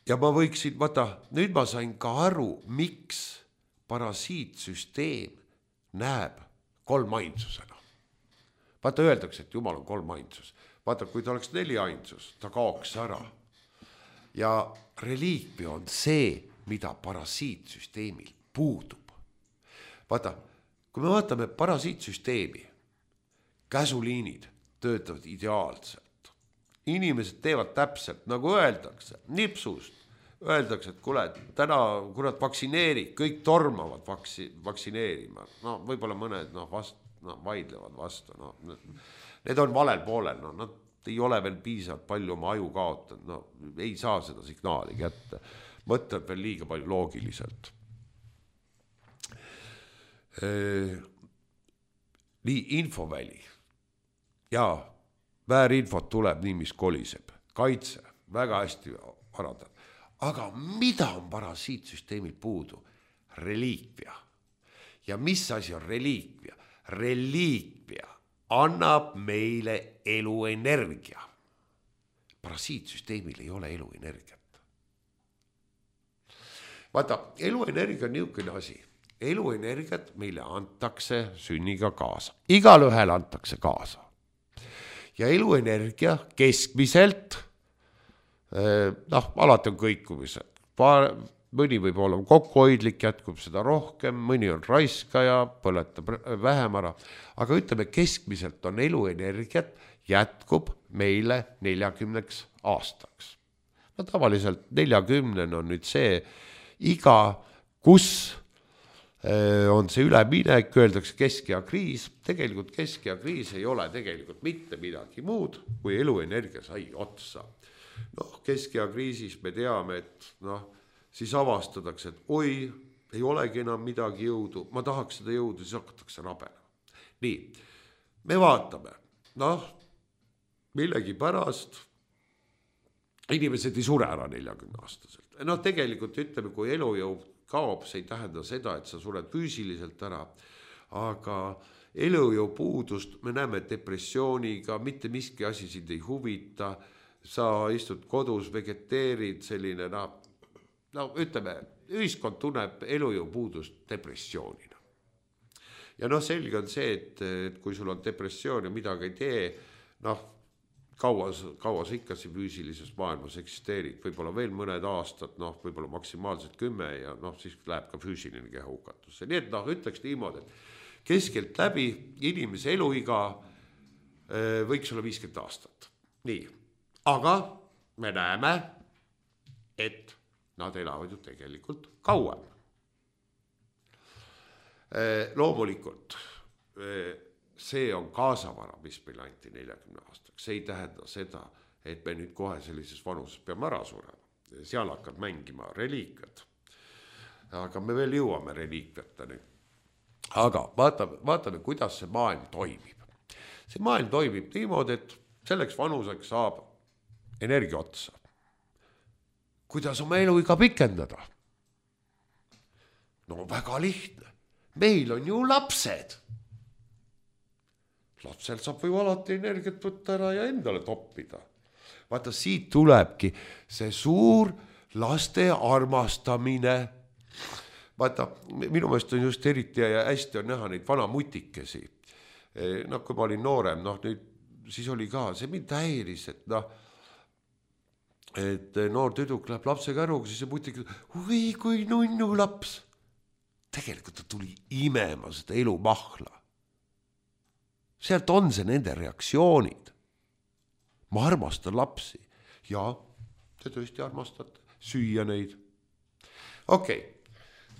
ja ma võiksin, vaata, nüüd ma sain ka aru, miks parasiitsüsteem näeb kolmainsusena. Vaata, öeldakse, et Jumal on kolmainsus. Vaata, kui ta oleks neli ainsus, ta kaoks ära. Ja reliikvia on see, mida parasiitsüsteemil puudub. Vaata, kui me vaatame parasiitsüsteemi, käsuliinid töötavad ideaalselt. Inimesed teevad täpselt, nagu öeldakse, nipsust. Öeldakse, et kuule, täna kurat vaktsineeri, kõik tormavad vaksi, vaktsineerima. No võib-olla mõned no, vast, no, vaidlevad vastu. No, need on valel poolel, no, nad ei ole veel piisavalt palju oma aju kaotanud. No, ei saa seda signaali kätte. Mõtleb veel liiga palju loogiliselt. Nii infoväli ja väärinfot tuleb nii, mis koliseb. Kaitse, väga hästi parandan. Aga mida on parasiitsüsteemil puudu? Reliikvia. Ja mis asi on reliikvia? Reliikvia annab meile eluenergia. Parasiitsüsteemil ei ole eluenergiat. Vaata, eluenergia on niisugune asi. Eluenergiat meile antakse sünniga kaasa. Igal ühel antakse kaasa. Ja eluenergia keskmiselt, noh, alati on kõikumised. Mõni võib olla kokkuhoidlik, jätkub seda rohkem, mõni on raiskaja, põletab vähem ära. Aga ütleme, keskmiselt on eluenergiat jätkub meile neljakümneks aastaks. No tavaliselt neljakümnen on nüüd see, iga, kus on see üleminek, öeldakse kesk- ja kriis. Tegelikult kesk- ja kriis ei ole tegelikult mitte midagi muud, kui eluenergia sai otsa. Noh, kesk- ja kriisis me teame, et noh, siis avastatakse, et oi, ei olegi enam midagi jõudu, ma tahaks seda jõudu, siis hakatakse rabena. Nii, me vaatame, noh, millegi pärast inimesed ei sure ära neljakümne aastaselt. No tegelikult ütleme, kui elujõu kaob, see ei tähenda seda, et sa sured füüsiliselt ära, aga elujõu puudust me näeme depressiooniga, mitte miski asi sind ei huvita, sa istud kodus, vegeteerid selline, no, no ütleme, ühiskond tunneb elujõu puudust depressioonina. Ja noh, selge on see, et, et kui sul on depressioon ja midagi ei tee, noh, Kaua, kaua sa ikka siin füüsilises maailmas eksisteerid, võib-olla veel mõned aastad, noh, võib-olla maksimaalselt kümme ja noh, siis läheb ka füüsiline keha hukatusse. Nii et noh, ütleks niimoodi, et keskelt läbi inimese eluiga võiks olla viiskümmend aastat. Nii, aga me näeme, et nad elavad ju tegelikult kauem. Loomulikult see on kaasavara, mis meil anti neljakümne aastaks. See ei tähenda seda, et me nüüd kohe sellises vanuses peame ära surema. Seal hakkab mängima reliikviad. Aga me veel jõuame reliikviateni. aga vaatame, vaatame, kuidas see maailm toimib. See maailm toimib niimoodi, et selleks vanuseks saab energia otsa. Kuidas oma elu iga pikendada? No väga lihtne. Meil on ju lapsed. Lapsel saab või alati energiat võtta ära ja endale toppida. Vaata, siit tulebki see suur laste armastamine. Vaata, minu meelest on just eriti ja hästi on näha neid vana mutikesi. No kui ma olin noorem, noh nüüd siis oli ka, see mind häiris, et noh, et noor tüdruk läheb lapse käruga, siis see mutik, oi kui nunnu laps. Tegelikult ta tuli imema seda elu mahla. Sealt on see nende reaktsioonid. Ma armastan lapsi. Ja, te tõesti armastate süüa neid. Okei, okay.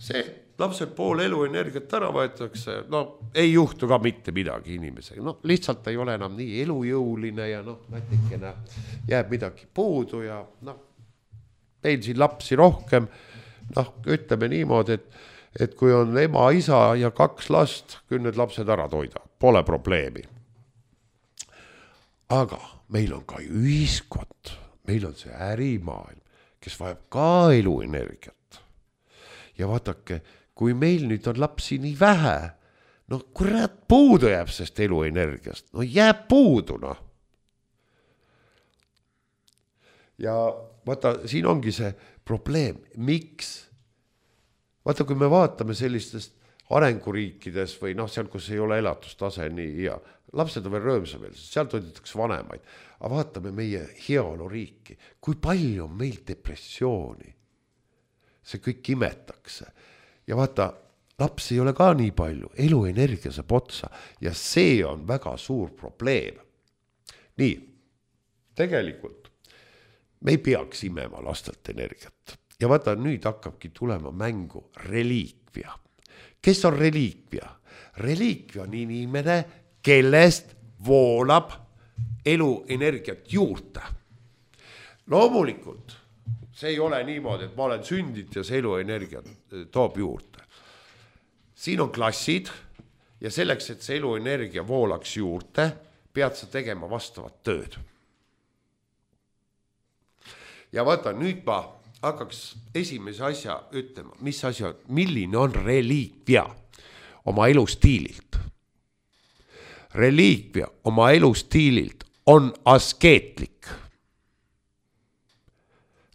See lapsel pool elu energiat ära võetakse, no ei juhtu ka mitte midagi inimesega. No lihtsalt ei ole enam nii elujõuline ja noh, natikene jääb midagi puudu ja noh, meil siin lapsi rohkem, noh, ütleme niimoodi, et et kui on ema, isa ja kaks last, küll need lapsed ära toida, pole probleemi. Aga meil on ka ühiskond, meil on see ärimaailm, kes vajab ka eluenergiat. Ja vaatake, kui meil nüüd on lapsi nii vähe, no kurat puudu jääb sest eluenergiast, no jääb puudu, noh. Ja vaata, siin ongi see probleem, miks? Vaata, kui me vaatame sellistest arenguriikides või noh, seal, kus ei ole elatustase nii ja lapsed on veel röömsameelsed, seal toidetakse vanemaid. Aga vaatame meie heaoluriiki, kui palju on meil depressiooni. See kõik imetakse. Ja vaata, laps ei ole ka nii palju, eluenergia saab otsa ja see on väga suur probleem. Nii, tegelikult me ei peaks imema lastelt energiat. Ja vaata, nüüd hakkabki tulema mängu reliikvia. Kes on reliikvia? Reliikvia on inimene, kellest voolab eluenergiat juurde. Loomulikult, see ei ole niimoodi, et ma olen sündit ja see eluenergia toob juurde. Siin on klassid ja selleks, et see eluenergia voolaks juurde, pead sa tegema vastavat tööd. Ja vaata, nüüd ma hakkaks esimese asja ütlema, mis asja, milline on reliikvia oma elustiililt. Reliikvia oma elustiililt on askeetlik.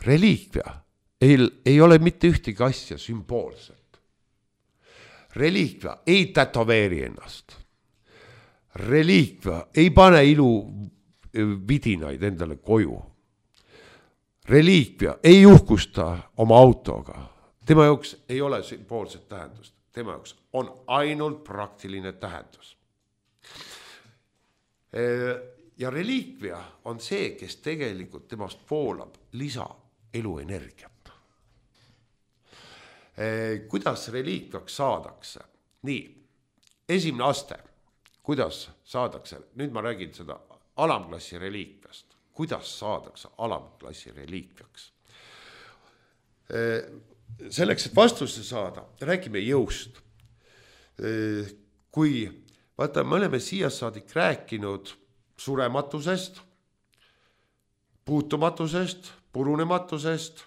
Reliikvia ei, ei ole mitte ühtegi asja sümboolselt. Reliikvia ei tätoveeri ennast. Reliikvia ei pane ilu vidinaid endale koju. Reliikvia ei uhkusta oma autoga. Tema jaoks ei ole sümboolset tähendust. Tema jaoks on ainult praktiline tähendus. Ja reliikvia on see, kes tegelikult temast voolab lisa eluenergiat. Kuidas reliikviaks saadakse? Nii, esimene aste, kuidas saadakse? Nüüd ma räägin seda alamklassi reliikviast. Kuidas saadakse alamklassi reliikviaks. Selleks, et vastuse saada, räägime jõust. Kui, vaata, me oleme siia saadik rääkinud surematusest, puutumatusest, purunematusest,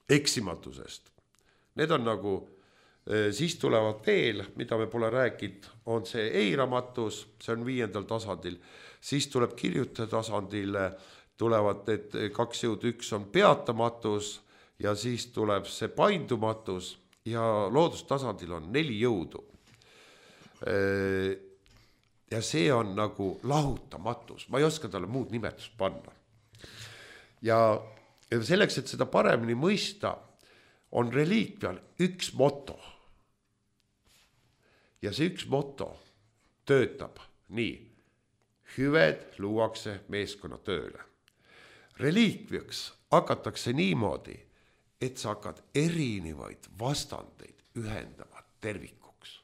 eksimatusest. Need on nagu, siis tulevad veel, mida me pole rääkinud, on see eiramatus, see on viiendal tasandil. Siis tuleb kirjuta tasandil, tulevad need kaks jõud, üks on peatamatus ja siis tuleb see paindumatus ja loodustasandil on neli jõudu. Ja see on nagu lahutamatus, ma ei oska talle muud nimetust panna. Ja selleks, et seda paremini mõista, on reliikvial üks moto. Ja see üks moto töötab nii. Hüved luuakse meeskonna tööle. Reliikviaks hakatakse niimoodi, et sa hakkad erinevaid vastandeid ühendama tervikuks.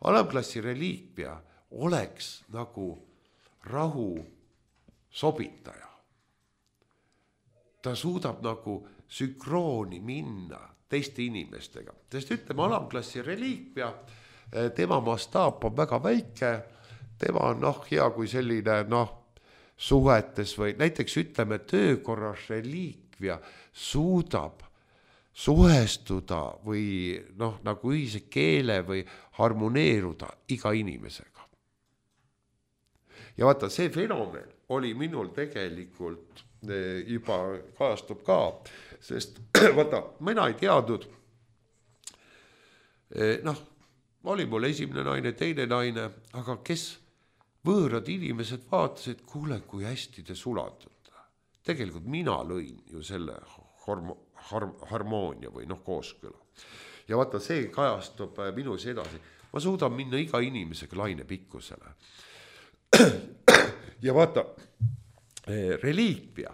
Alamklassi reliikvia oleks nagu rahu sobitaja. Ta suudab nagu sünkrooni minna teiste inimestega. Sest ütleme, alamklassi reliikvia, tema mastaap on väga väike, tema on noh, hea kui selline noh, suhetes või näiteks ütleme, töökorras reliikvia suudab suhestuda või noh, nagu ühise keele või harmoneeruda iga inimesega. Ja vaata, see fenomen oli minul tegelikult juba kajastub ka, sest vaata, mina ei teadnud, noh, oli mul esimene naine, teine naine, aga kes võõrad inimesed vaatasid, kuule, kui hästi te sulatute. Tegelikult mina lõin ju selle hormo- Har- harmoonia või noh, kooskõla. Ja vaata, see kajastub minus edasi. Ma suudan minna iga inimesega laine pikkusele. Ja vaata, reliikvia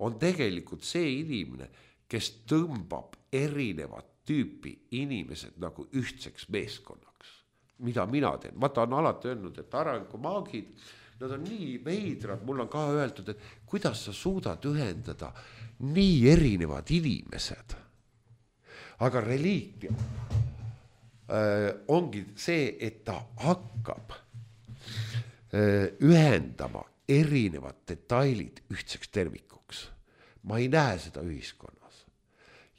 on tegelikult see inimene, kes tõmbab erinevat tüüpi inimesed nagu ühtseks meeskonnaks. Mida mina teen? Vaata, on alati öelnud, et arengumaagid, nad on nii veidrad, mul on ka öeldud, et kuidas sa suudad ühendada nii erinevad inimesed. Aga reliikvia äh, ongi see, et ta hakkab äh, ühendama erinevad detailid ühtseks tervikuks. Ma ei näe seda ühiskonnas.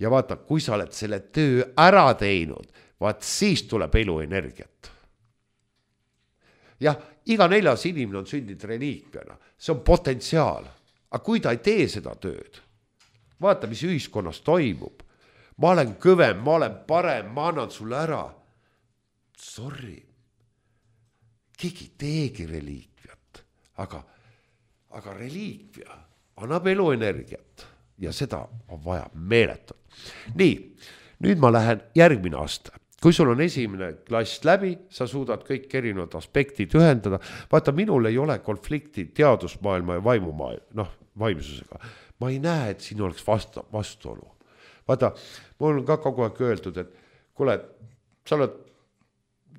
Ja vaata, kui sa oled selle töö ära teinud, vaat siis tuleb eluenergiat. Jah, iga neljas inimene on sündinud reliikviana. See on potentsiaal. Aga kui ta ei tee seda tööd, vaata, mis ühiskonnas toimub. Ma olen kõvem, ma olen parem, ma annan sulle ära. Sorry. Keegi teegi reliikviat. Aga, aga reliikvia annab eluenergiat ja seda on vaja meeletult. Nii, nüüd ma lähen järgmine aasta. Kui sul on esimene klass läbi, sa suudad kõik erinevad aspektid ühendada. Vaata, minul ei ole konflikti teadusmaailma ja vaimumaailma, noh, vaimsusega. Ma ei näe, et siin oleks vastu, vastuolu. Vaata, mul on ka kogu aeg öeldud, et kuule, sa oled,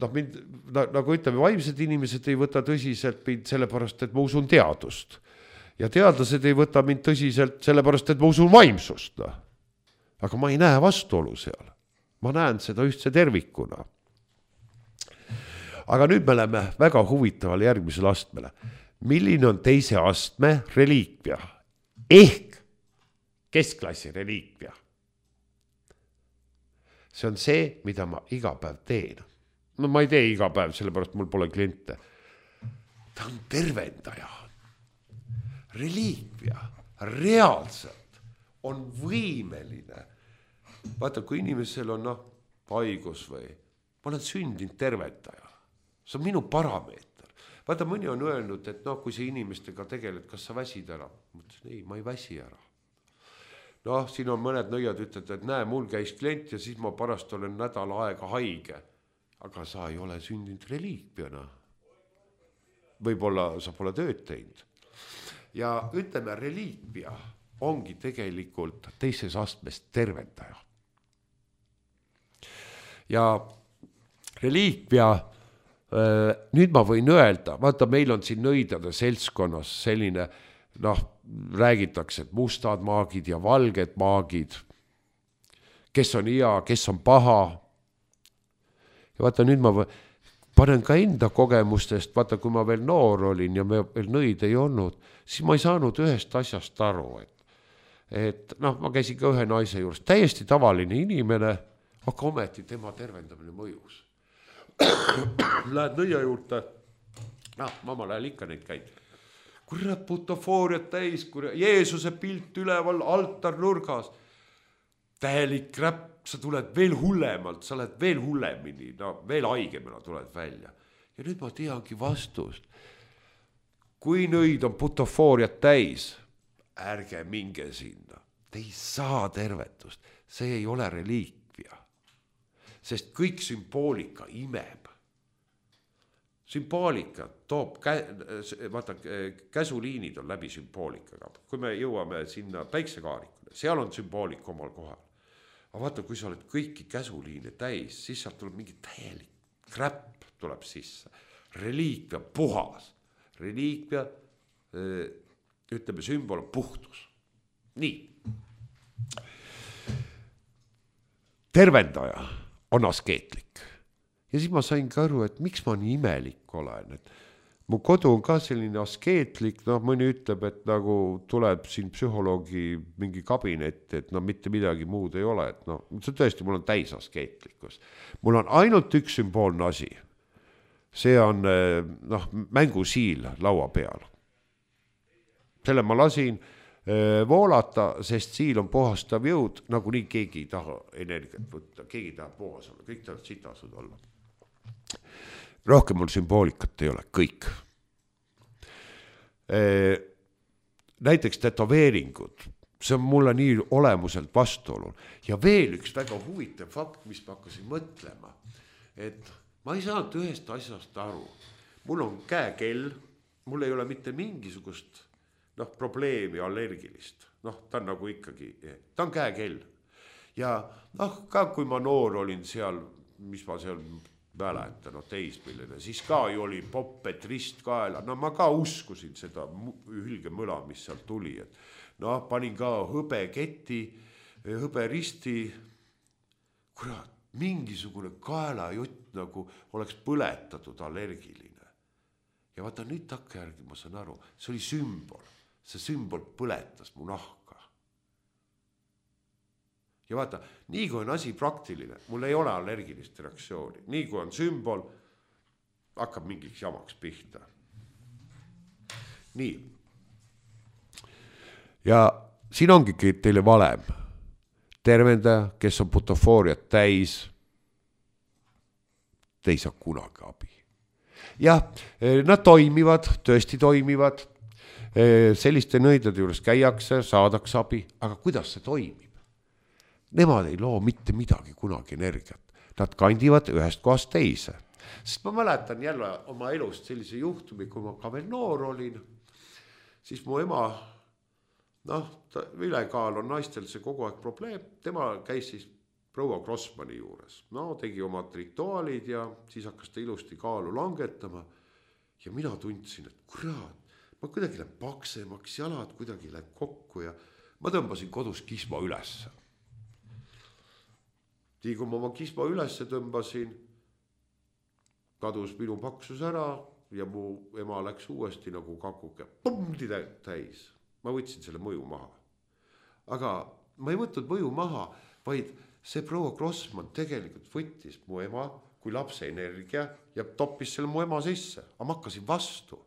noh, mind, nagu ütleme, vaimsed inimesed ei võta tõsiselt mind sellepärast, et ma usun teadust. Ja teadlased ei võta mind tõsiselt sellepärast, et ma usun vaimsust. No. Aga ma ei näe vastuolu seal. Ma näen seda ühtse tervikuna. Aga nüüd me oleme väga huvitaval järgmisel astmele. Milline on teise astme reliikvia? Ehk keskklassi reliikvia. See on see, mida ma iga päev teen. No ma ei tee iga päev, sellepärast mul pole kliente. Ta on tervendaja. Reliikvia reaalselt on võimeline. Vaata, kui inimesel on noh, haigus või, ma olen sündinud tervendaja. See on minu parameeter. Vaata, mõni on öelnud, et noh, kui sa inimestega tegeled, kas sa väsid ära? Mõtlesin, ei, ma ei väsi ära. Noh, siin on mõned nõiad ütlevad, et näe, mul käis klient ja siis ma parast olen nädal aega haige. Aga sa ei ole sündinud reliikviana. Võib-olla sa pole tööd teinud. Ja ütleme, reliikvia ongi tegelikult teises astmes tervendaja. Ja reliikvia, nüüd ma võin öelda, vaata, meil on siin nõidade seltskonnas selline, noh, räägitakse, et mustad maagid ja valged maagid, kes on hea, kes on paha. Ja vaata, nüüd ma panen ka enda kogemustest, vaata, kui ma veel noor olin ja me veel nõid ei olnud, siis ma ei saanud ühest asjast aru, et, et noh, ma käisin ka ühe naise juures, täiesti tavaline inimene, aga ometi tema tervendamine mõjus. Lähed nõia juurde, noh, mamma lähel ikka neid käid. Kurat, butofooriat täis, kurat, Jeesuse pilt üleval, altar nurgas. Tähelik räpp, sa tuled veel hullemalt, sa oled veel hullemini, no veel haigemana tuled välja. Ja nüüd ma teangi vastust. Kui nõid on butofooriat täis, ärge minge sinna. Te ei saa tervetust, see ei ole reliikvia. Sest kõik sümboolika imeb. Sümboolika toob, kä- vaata, käsuliinid on läbi sümboolikaga. Kui me jõuame sinna päiksekaarikule, seal on sümboolika omal kohal. Aga vaata, kui sa oled kõiki käsuliine täis, siis sealt tuleb mingi täielik kräpp tuleb sisse. Reliikvia puhas. Reliikvia, ütleme, sümbol on puhtus. Nii. tervendaja on askeetlik. Ja siis ma sain ka aru, et miks ma nii imelik olen, et mu kodu on ka selline askeetlik, noh, mõni ütleb, et nagu tuleb siin psühholoogi mingi kabinet, et no mitte midagi muud ei ole, et no see tõesti, mul on täis askeetlikkus. Mul on ainult üks sümboolne asi. See on noh, mängusiil laua peal. Selle ma lasin voolata, sest siil on puhastav jõud, nagu nii keegi ei taha energiat võtta, keegi tahab puhas olla, kõik tahavad sitasud olla. Rohkem mul sümboolikat ei ole, kõik. Näiteks tätoveeringud, see on mulle nii olemuselt vastuolun. Ja veel üks väga huvitav fakt, mis ma hakkasin mõtlema, et ma ei saanud ühest asjast aru. Mul on käekell, mul ei ole mitte mingisugust noh, probleemi allergilist. Noh, ta on nagu ikkagi, ta on käekell. Ja noh, ka kui ma noor olin seal, mis ma seal mäletan, no teismilline, siis ka ju oli poppet ristkaela. No ma ka uskusin seda hülgemõla, mis seal tuli. Et no panin ka hõbeketi, hõberisti, kurat, mingisugune kaelajutt nagu oleks põletatud allergiline. Ja vaata nüüd takka järgi ma saan aru, see oli sümbol. See sümbol põletas mu nahka. Ja vaata, nii kui on asi praktiline, mul ei ole allergilist reaktsiooni. Nii kui on sümbol, hakkab mingiks jamaks pihta. Nii. Ja siin ongi teile valem. Tervendaja, kes on butofooriat täis, te ei saa kunagi abi. Ja nad toimivad, tõesti toimivad. Selliste nõidade juures käiakse, saadaks abi, aga kuidas see toimib? Nemad ei loo mitte midagi kunagi energiat. Nad kandivad ühest kohast teise. Sest ma mäletan jälle oma elust sellise juhtumi, kui ma ka veel noor olin, siis mu ema, noh, ülekaal on naistel see kogu aeg probleem, tema käis siis proua Grossmani juures. No, tegi omad rituaalid ja siis hakkas ta ilusti kaalu langetama ja mina tundsin, et kurat, ma kuidagi lähen paksemaks, jalad kuidagi lähen kokku ja ma tõmbasin kodus kisma ülesse. Nii kui ma oma kisma ülesse tõmbasin, kadus minu paksus ära ja mu ema läks uuesti nagu kakuke pomdi täis. Ma võtsin selle mõju maha. Aga ma ei võtnud mõju maha, vaid see proua Grossman tegelikult võttis mu ema kui lapse energia ja toppis selle mu ema sisse. Aga ma hakkasin vastu.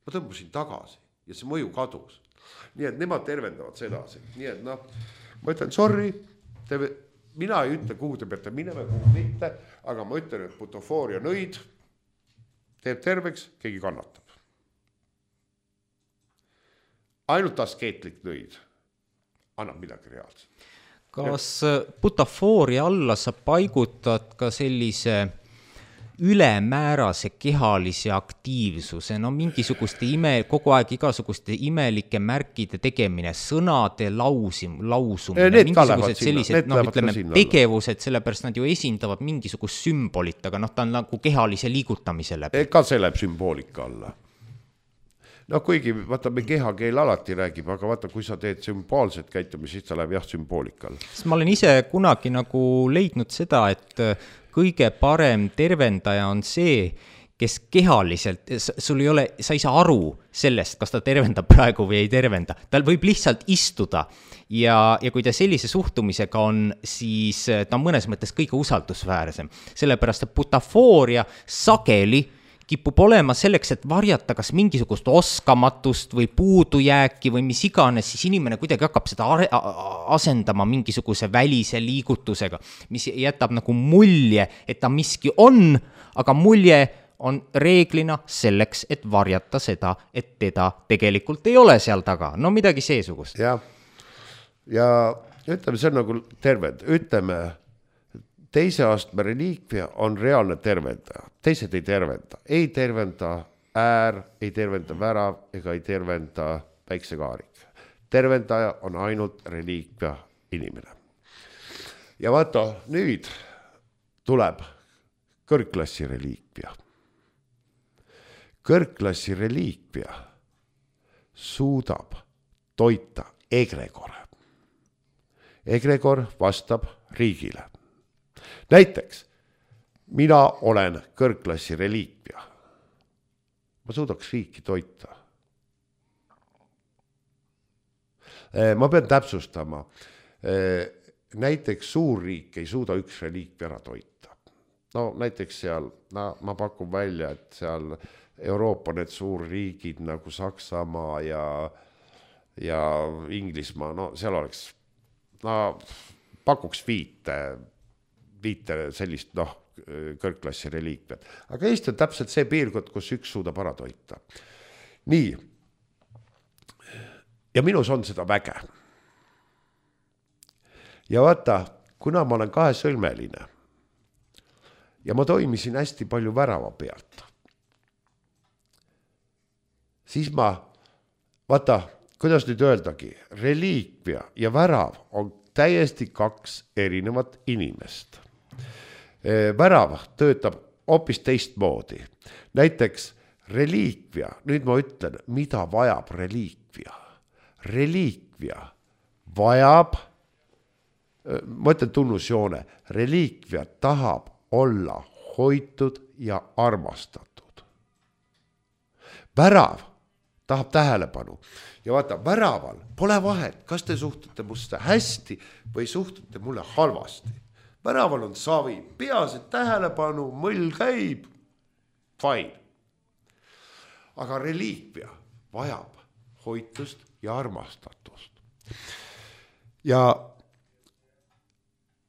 Ma tõmbasin tagasi ja see mõju kadus. Nii et nemad tervendavad sedasi. Nii et noh, ma ütlen sorry, te, mina ei ütle, kuhu te peate minema, kuhu mitte, aga ma ütlen, et butofooria nõid teeb terveks, keegi kannatab. Ainult askeetlik nõid annab midagi reaalselt. Kas butofooria alla sa paigutad ka sellise ülemäärase kehalise aktiivsuse, no mingisuguste ime, kogu aeg igasuguste imelike märkide tegemine, sõnade lausim, lausumine, need mingisugused sellised no, ütleme, tegevused, sellepärast nad ju esindavad mingisugust sümbolit, aga noh, ta on nagu kehalise liigutamise läbi. Ka see läheb sümboolika alla. No kuigi, vaata, me kehakeel alati räägib, aga vaata, kui sa teed sümboolset käitumist, siis ta läheb jah sümboolika alla. Ma olen ise kunagi nagu leidnud seda, et kõige parem tervendaja on see, kes kehaliselt, sul ei ole, sa ei saa aru sellest, kas ta tervendab praegu või ei tervenda. Tal võib lihtsalt istuda ja, ja kui ta sellise suhtumisega on, siis ta on mõnes mõttes kõige usaldusväärsem. Sellepärast, et butofooria sageli kipub olema selleks, et varjata kas mingisugust oskamatust või puudujääki või mis iganes, siis inimene kuidagi hakkab seda asendama mingisuguse välise liigutusega, mis jätab nagu mulje, et ta miski on, aga mulje on reeglina selleks, et varjata seda, et teda tegelikult ei ole seal taga. No midagi seesugust. Ja, ja ütleme, see on nagu terved, ütleme, teise astme reliikvia on reaalne tervendaja. Teised ei tervenda. Ei tervenda äär, ei tervenda värav ega ei tervenda päiksekaarik. Tervendaja on ainult reliikvia inimene. Ja vaata, nüüd tuleb kõrgklassi reliikvia. Kõrgklassi reliikvia suudab toita egregore. egregor vastab riigile. Näiteks, mina olen kõrgklassi reliikvia. Ma suudaks riiki toita. Ma pean täpsustama. Näiteks suurriik ei suuda üks reliikvia ära toita. No näiteks seal, no, ma pakun välja, et seal Euroopa need suurriigid nagu Saksamaa ja, ja Inglismaa, no seal oleks, no pakuks viite, viite sellist, noh, kõrgklassi reliikviat. Aga Eesti on täpselt see piirkond, kus üks suudab ära toita. Nii. Ja minus on seda väge. Ja vaata, kuna ma olen kahesõlmeline ja ma toimisin hästi palju värava pealt, siis ma, vaata, kuidas nüüd öeldagi, reliikvia ja värav on täiesti kaks erinevat inimest. Värav töötab hoopis teistmoodi. Näiteks reliikvia, nüüd ma ütlen, mida vajab reliikvia. Reliikvia vajab, ma ütlen tunnusjoone, reliikvia tahab olla hoitud ja armastatud. Värav tahab tähelepanu. Ja vaata, väraval pole vahet, kas te suhtute musta hästi või suhtute mulle halvasti. Väraval on savi, peas, et tähelepanu, mõll käib, fine. Aga reliikvia vajab hoitust ja armastatust. Ja,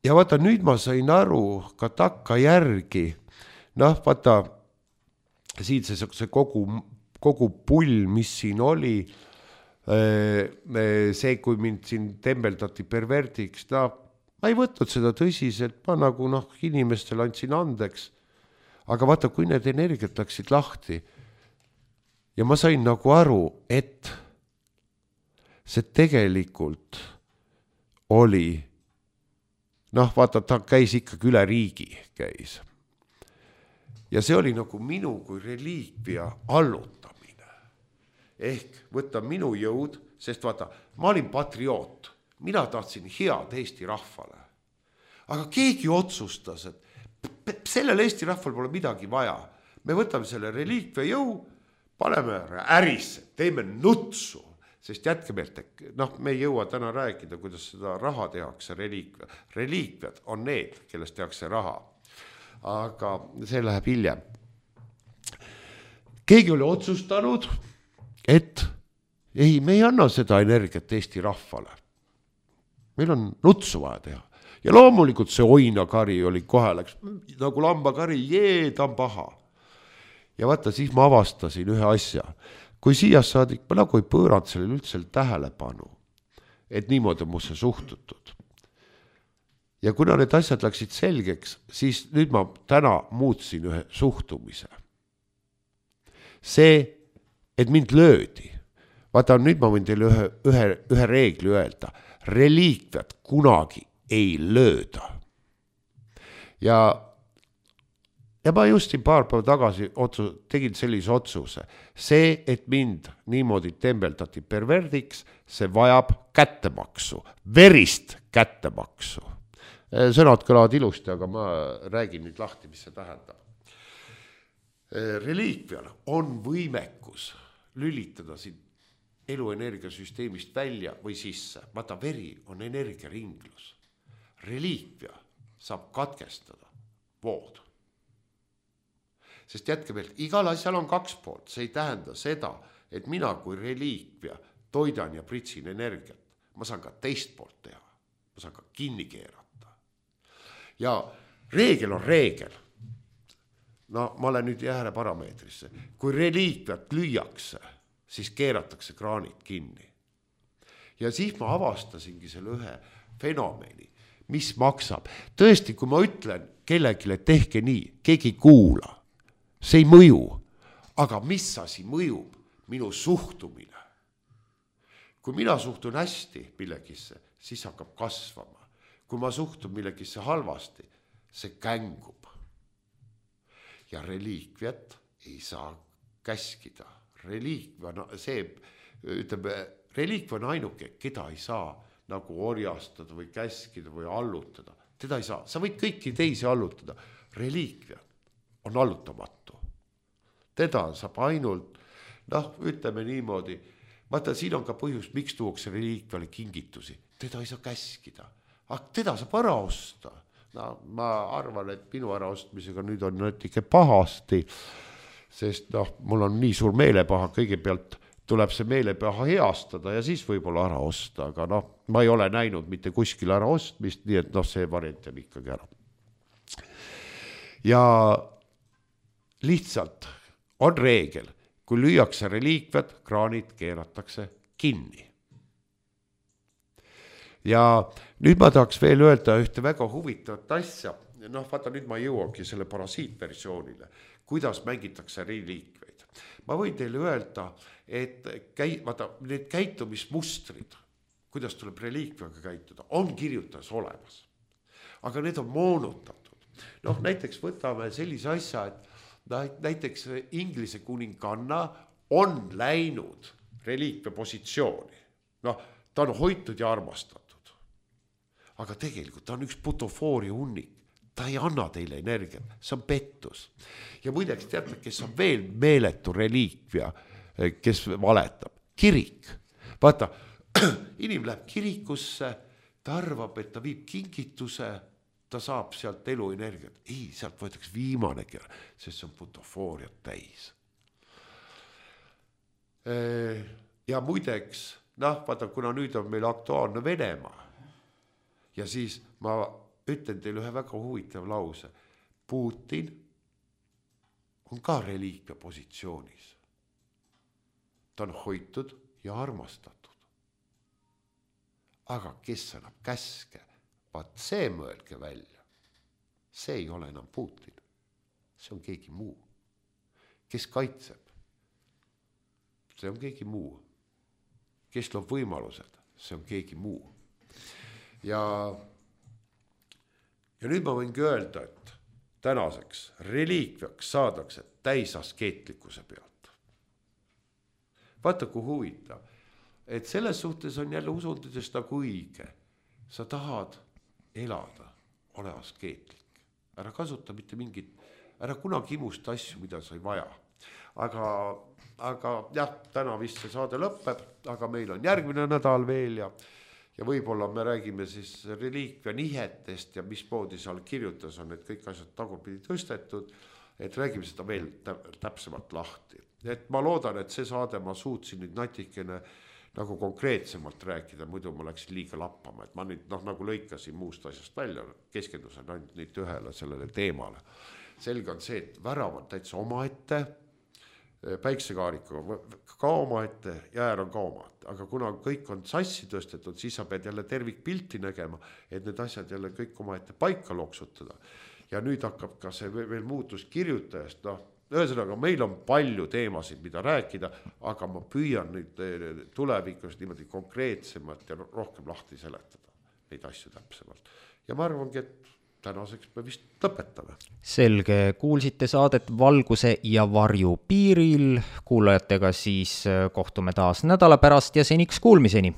ja vaata, nüüd ma sain aru ka takka järgi, noh, vaata, siin see, see kogu, kogu pull, mis siin oli, see, kui mind siin tembeldati perverdiks, no, ma ei võtnud seda tõsiselt, ma nagu noh, inimestel andsin andeks, aga vaata, kui need energiat läksid lahti ja ma sain nagu aru, et see tegelikult oli, noh, vaata, ta käis ikkagi üle riigi, käis. Ja see oli nagu minu kui reliikvia allutamine. Ehk võtta minu jõud, sest vaata, ma olin patrioot. Mina tahtsin head Eesti rahvale. Aga keegi otsustas, et sellel Eesti rahval pole midagi vaja. Me võtame selle reliikvia jõu, paneme ärisse, teeme nutsu, sest jätke meelt, noh, me ei jõua täna rääkida, kuidas seda raha tehakse reliikvia. Reliikviad on need, kellest tehakse raha. Aga see läheb hiljem. Keegi oli otsustanud, et ei, me ei anna seda energiat Eesti rahvale. Meil on nutsu vaja teha. Ja loomulikult see oinakari oli kohe läks, nagu lambakari, jee, ta on paha. Ja vaata, siis ma avastasin ühe asja. Kui siia saadik, ma nagu ei pööranud sellele üldse tähelepanu, et niimoodi on musse suhtutud. Ja kuna need asjad läksid selgeks, siis nüüd ma täna muutsin ühe suhtumise. See, et mind löödi. Vaata, nüüd ma võin teile ühe, ühe, ühe reegli öelda. Reliikviat kunagi ei lööda. Ja, ja ma just paar päeva tagasi otsus, tegin sellise otsuse. See, et mind niimoodi tembeldati perverdiks, see vajab kättemaksu, verist kättemaksu. Sõnad kõlavad ilusti, aga ma räägin nüüd lahti, mis see tähendab. Reliikvial on võimekus lülitada siin eluenergiasüsteemist välja või sisse. Vaata, veri on energiaringlus. Reliikvia saab katkestada vood. Sest jätke veel, igal asjal on kaks poolt. See ei tähenda seda, et mina kui reliikvia toidan ja pritsin energiat. Ma saan ka teist poolt teha. Ma saan ka kinni keerata. Ja reegel on reegel. No ma olen nüüd jääle parameetrisse. Kui reliikviat lüüakse, siis keeratakse kraanid kinni. Ja siis ma avastasingi selle ühe fenomeni, mis maksab. Tõesti, kui ma ütlen kellegile, tehke nii, keegi kuula. See ei mõju. Aga mis asi mõjub? Minu suhtumine. Kui mina suhtun hästi millegisse, siis hakkab kasvama. Kui ma suhtun millegisse halvasti, see kängub. Ja reliikviat ei saa käskida. Reliikvia, no see, ütleme, reliikvia on ainuke, keda ei saa nagu orjastada või käskida või allutada. Teda ei saa, sa võid kõiki teisi allutada. Reliikvia on allutamatu. Teda saab ainult, noh, ütleme niimoodi, vaata, siin on ka põhjus, miks tuuakse reliikviale kingitusi. Teda ei saa käskida, aga teda saab ära osta. No, ma arvan, et minu äraostmisega nüüd on natuke pahasti, sest noh, mul on nii suur meelepaha, kõigepealt tuleb see meelepaha heastada ja siis võib-olla ära osta, aga noh, ma ei ole näinud mitte kuskil ära ostmist, nii et noh, see variant on ikkagi ära. Ja lihtsalt on reegel, kui lüüakse reliikviad, kraanid keeratakse kinni. Ja nüüd ma tahaks veel öelda ühte väga huvitavat asja. Noh, vaata, nüüd ma jõuangi selle parasiitversioonile, kuidas mängitakse reliikveid. Ma võin teile öelda, et käi, vaata, need käitumismustrid, kuidas tuleb reliikviaga käituda, on kirjutas olemas. Aga need on moonutatud. Noh, näiteks võtame sellise asja, et näiteks Inglise kuninganna on läinud reliikvia positsiooni. Noh, ta on hoitud ja armastatud. Aga tegelikult ta on üks putofooria hunnik. Ta ei anna teile energiat, see on pettus. Ja muideks teate, kes on veel meeletu reliikvia, kes valetab? Kirik. Vaata, inim läheb kirikusse, ta arvab, et ta viib kingituse, ta saab sealt eluenergiat. Ei, sealt võetakse viimane kera, sest see on putofooriat täis. Ja muideks, noh, vaata, kuna nüüd on meil aktuaalne Venemaa, ja siis ma ütlen teile ühe väga huvitav lause. Putin on ka reliikvia positsioonis. Ta on hoitud ja armastatud. Aga kes annab käske? Vaat see mõelge välja. See ei ole enam Putin. See on keegi muu. Kes kaitseb? See on keegi muu. Kes loob võimalused? See on keegi muu. Ja, ja nüüd ma võingi öelda, et tänaseks reliikviaks saadakse täisaskeetlikkuse pealt. Vaata, kui huvitav, et selles suhtes on jälle usundudest nagu õige. Sa tahad elada, ole askeetlik. Ära kasuta mitte mingit, ära kunagi imusta asju, mida sa ei vaja. Aga, aga jah, täna vist see saade lõpeb, aga meil on järgmine nädal veel ja Ja võib-olla me räägime siis reliikvia nihetest ja mismoodi seal kirjutas on, et kõik asjad tagurpidi tõstetud, et räägime seda veel täpsemalt lahti. Et ma loodan, et see saade ma suutsin nüüd natikene nagu konkreetsemalt rääkida, muidu ma läksin liiga lappama, et ma nüüd noh, nagu lõikasin muust asjast välja, keskendusin ainult nüüd ühele sellele teemale. Selge on see, et värav on täitsa omaette, päiksekaarikuga ka omaette ja äär on ka omaette. Aga kuna kõik on sassi tõstetud, siis sa pead jälle tervik pilti nägema, et need asjad jälle kõik omaette paika loksutada. Ja nüüd hakkab ka see veel muutus kirjutajast. No, ühesõnaga, meil on palju teemasid, mida rääkida, aga ma püüan nüüd tulevikus niimoodi konkreetsemalt ja rohkem lahti seletada neid asju täpsemalt. Ja ma arvangi, et tänaseks me vist lõpetame. Selge, kuulsite saadet Valguse ja varju piiril. Kuulajatega siis kohtume taas nädala pärast ja seniks kuulmiseni.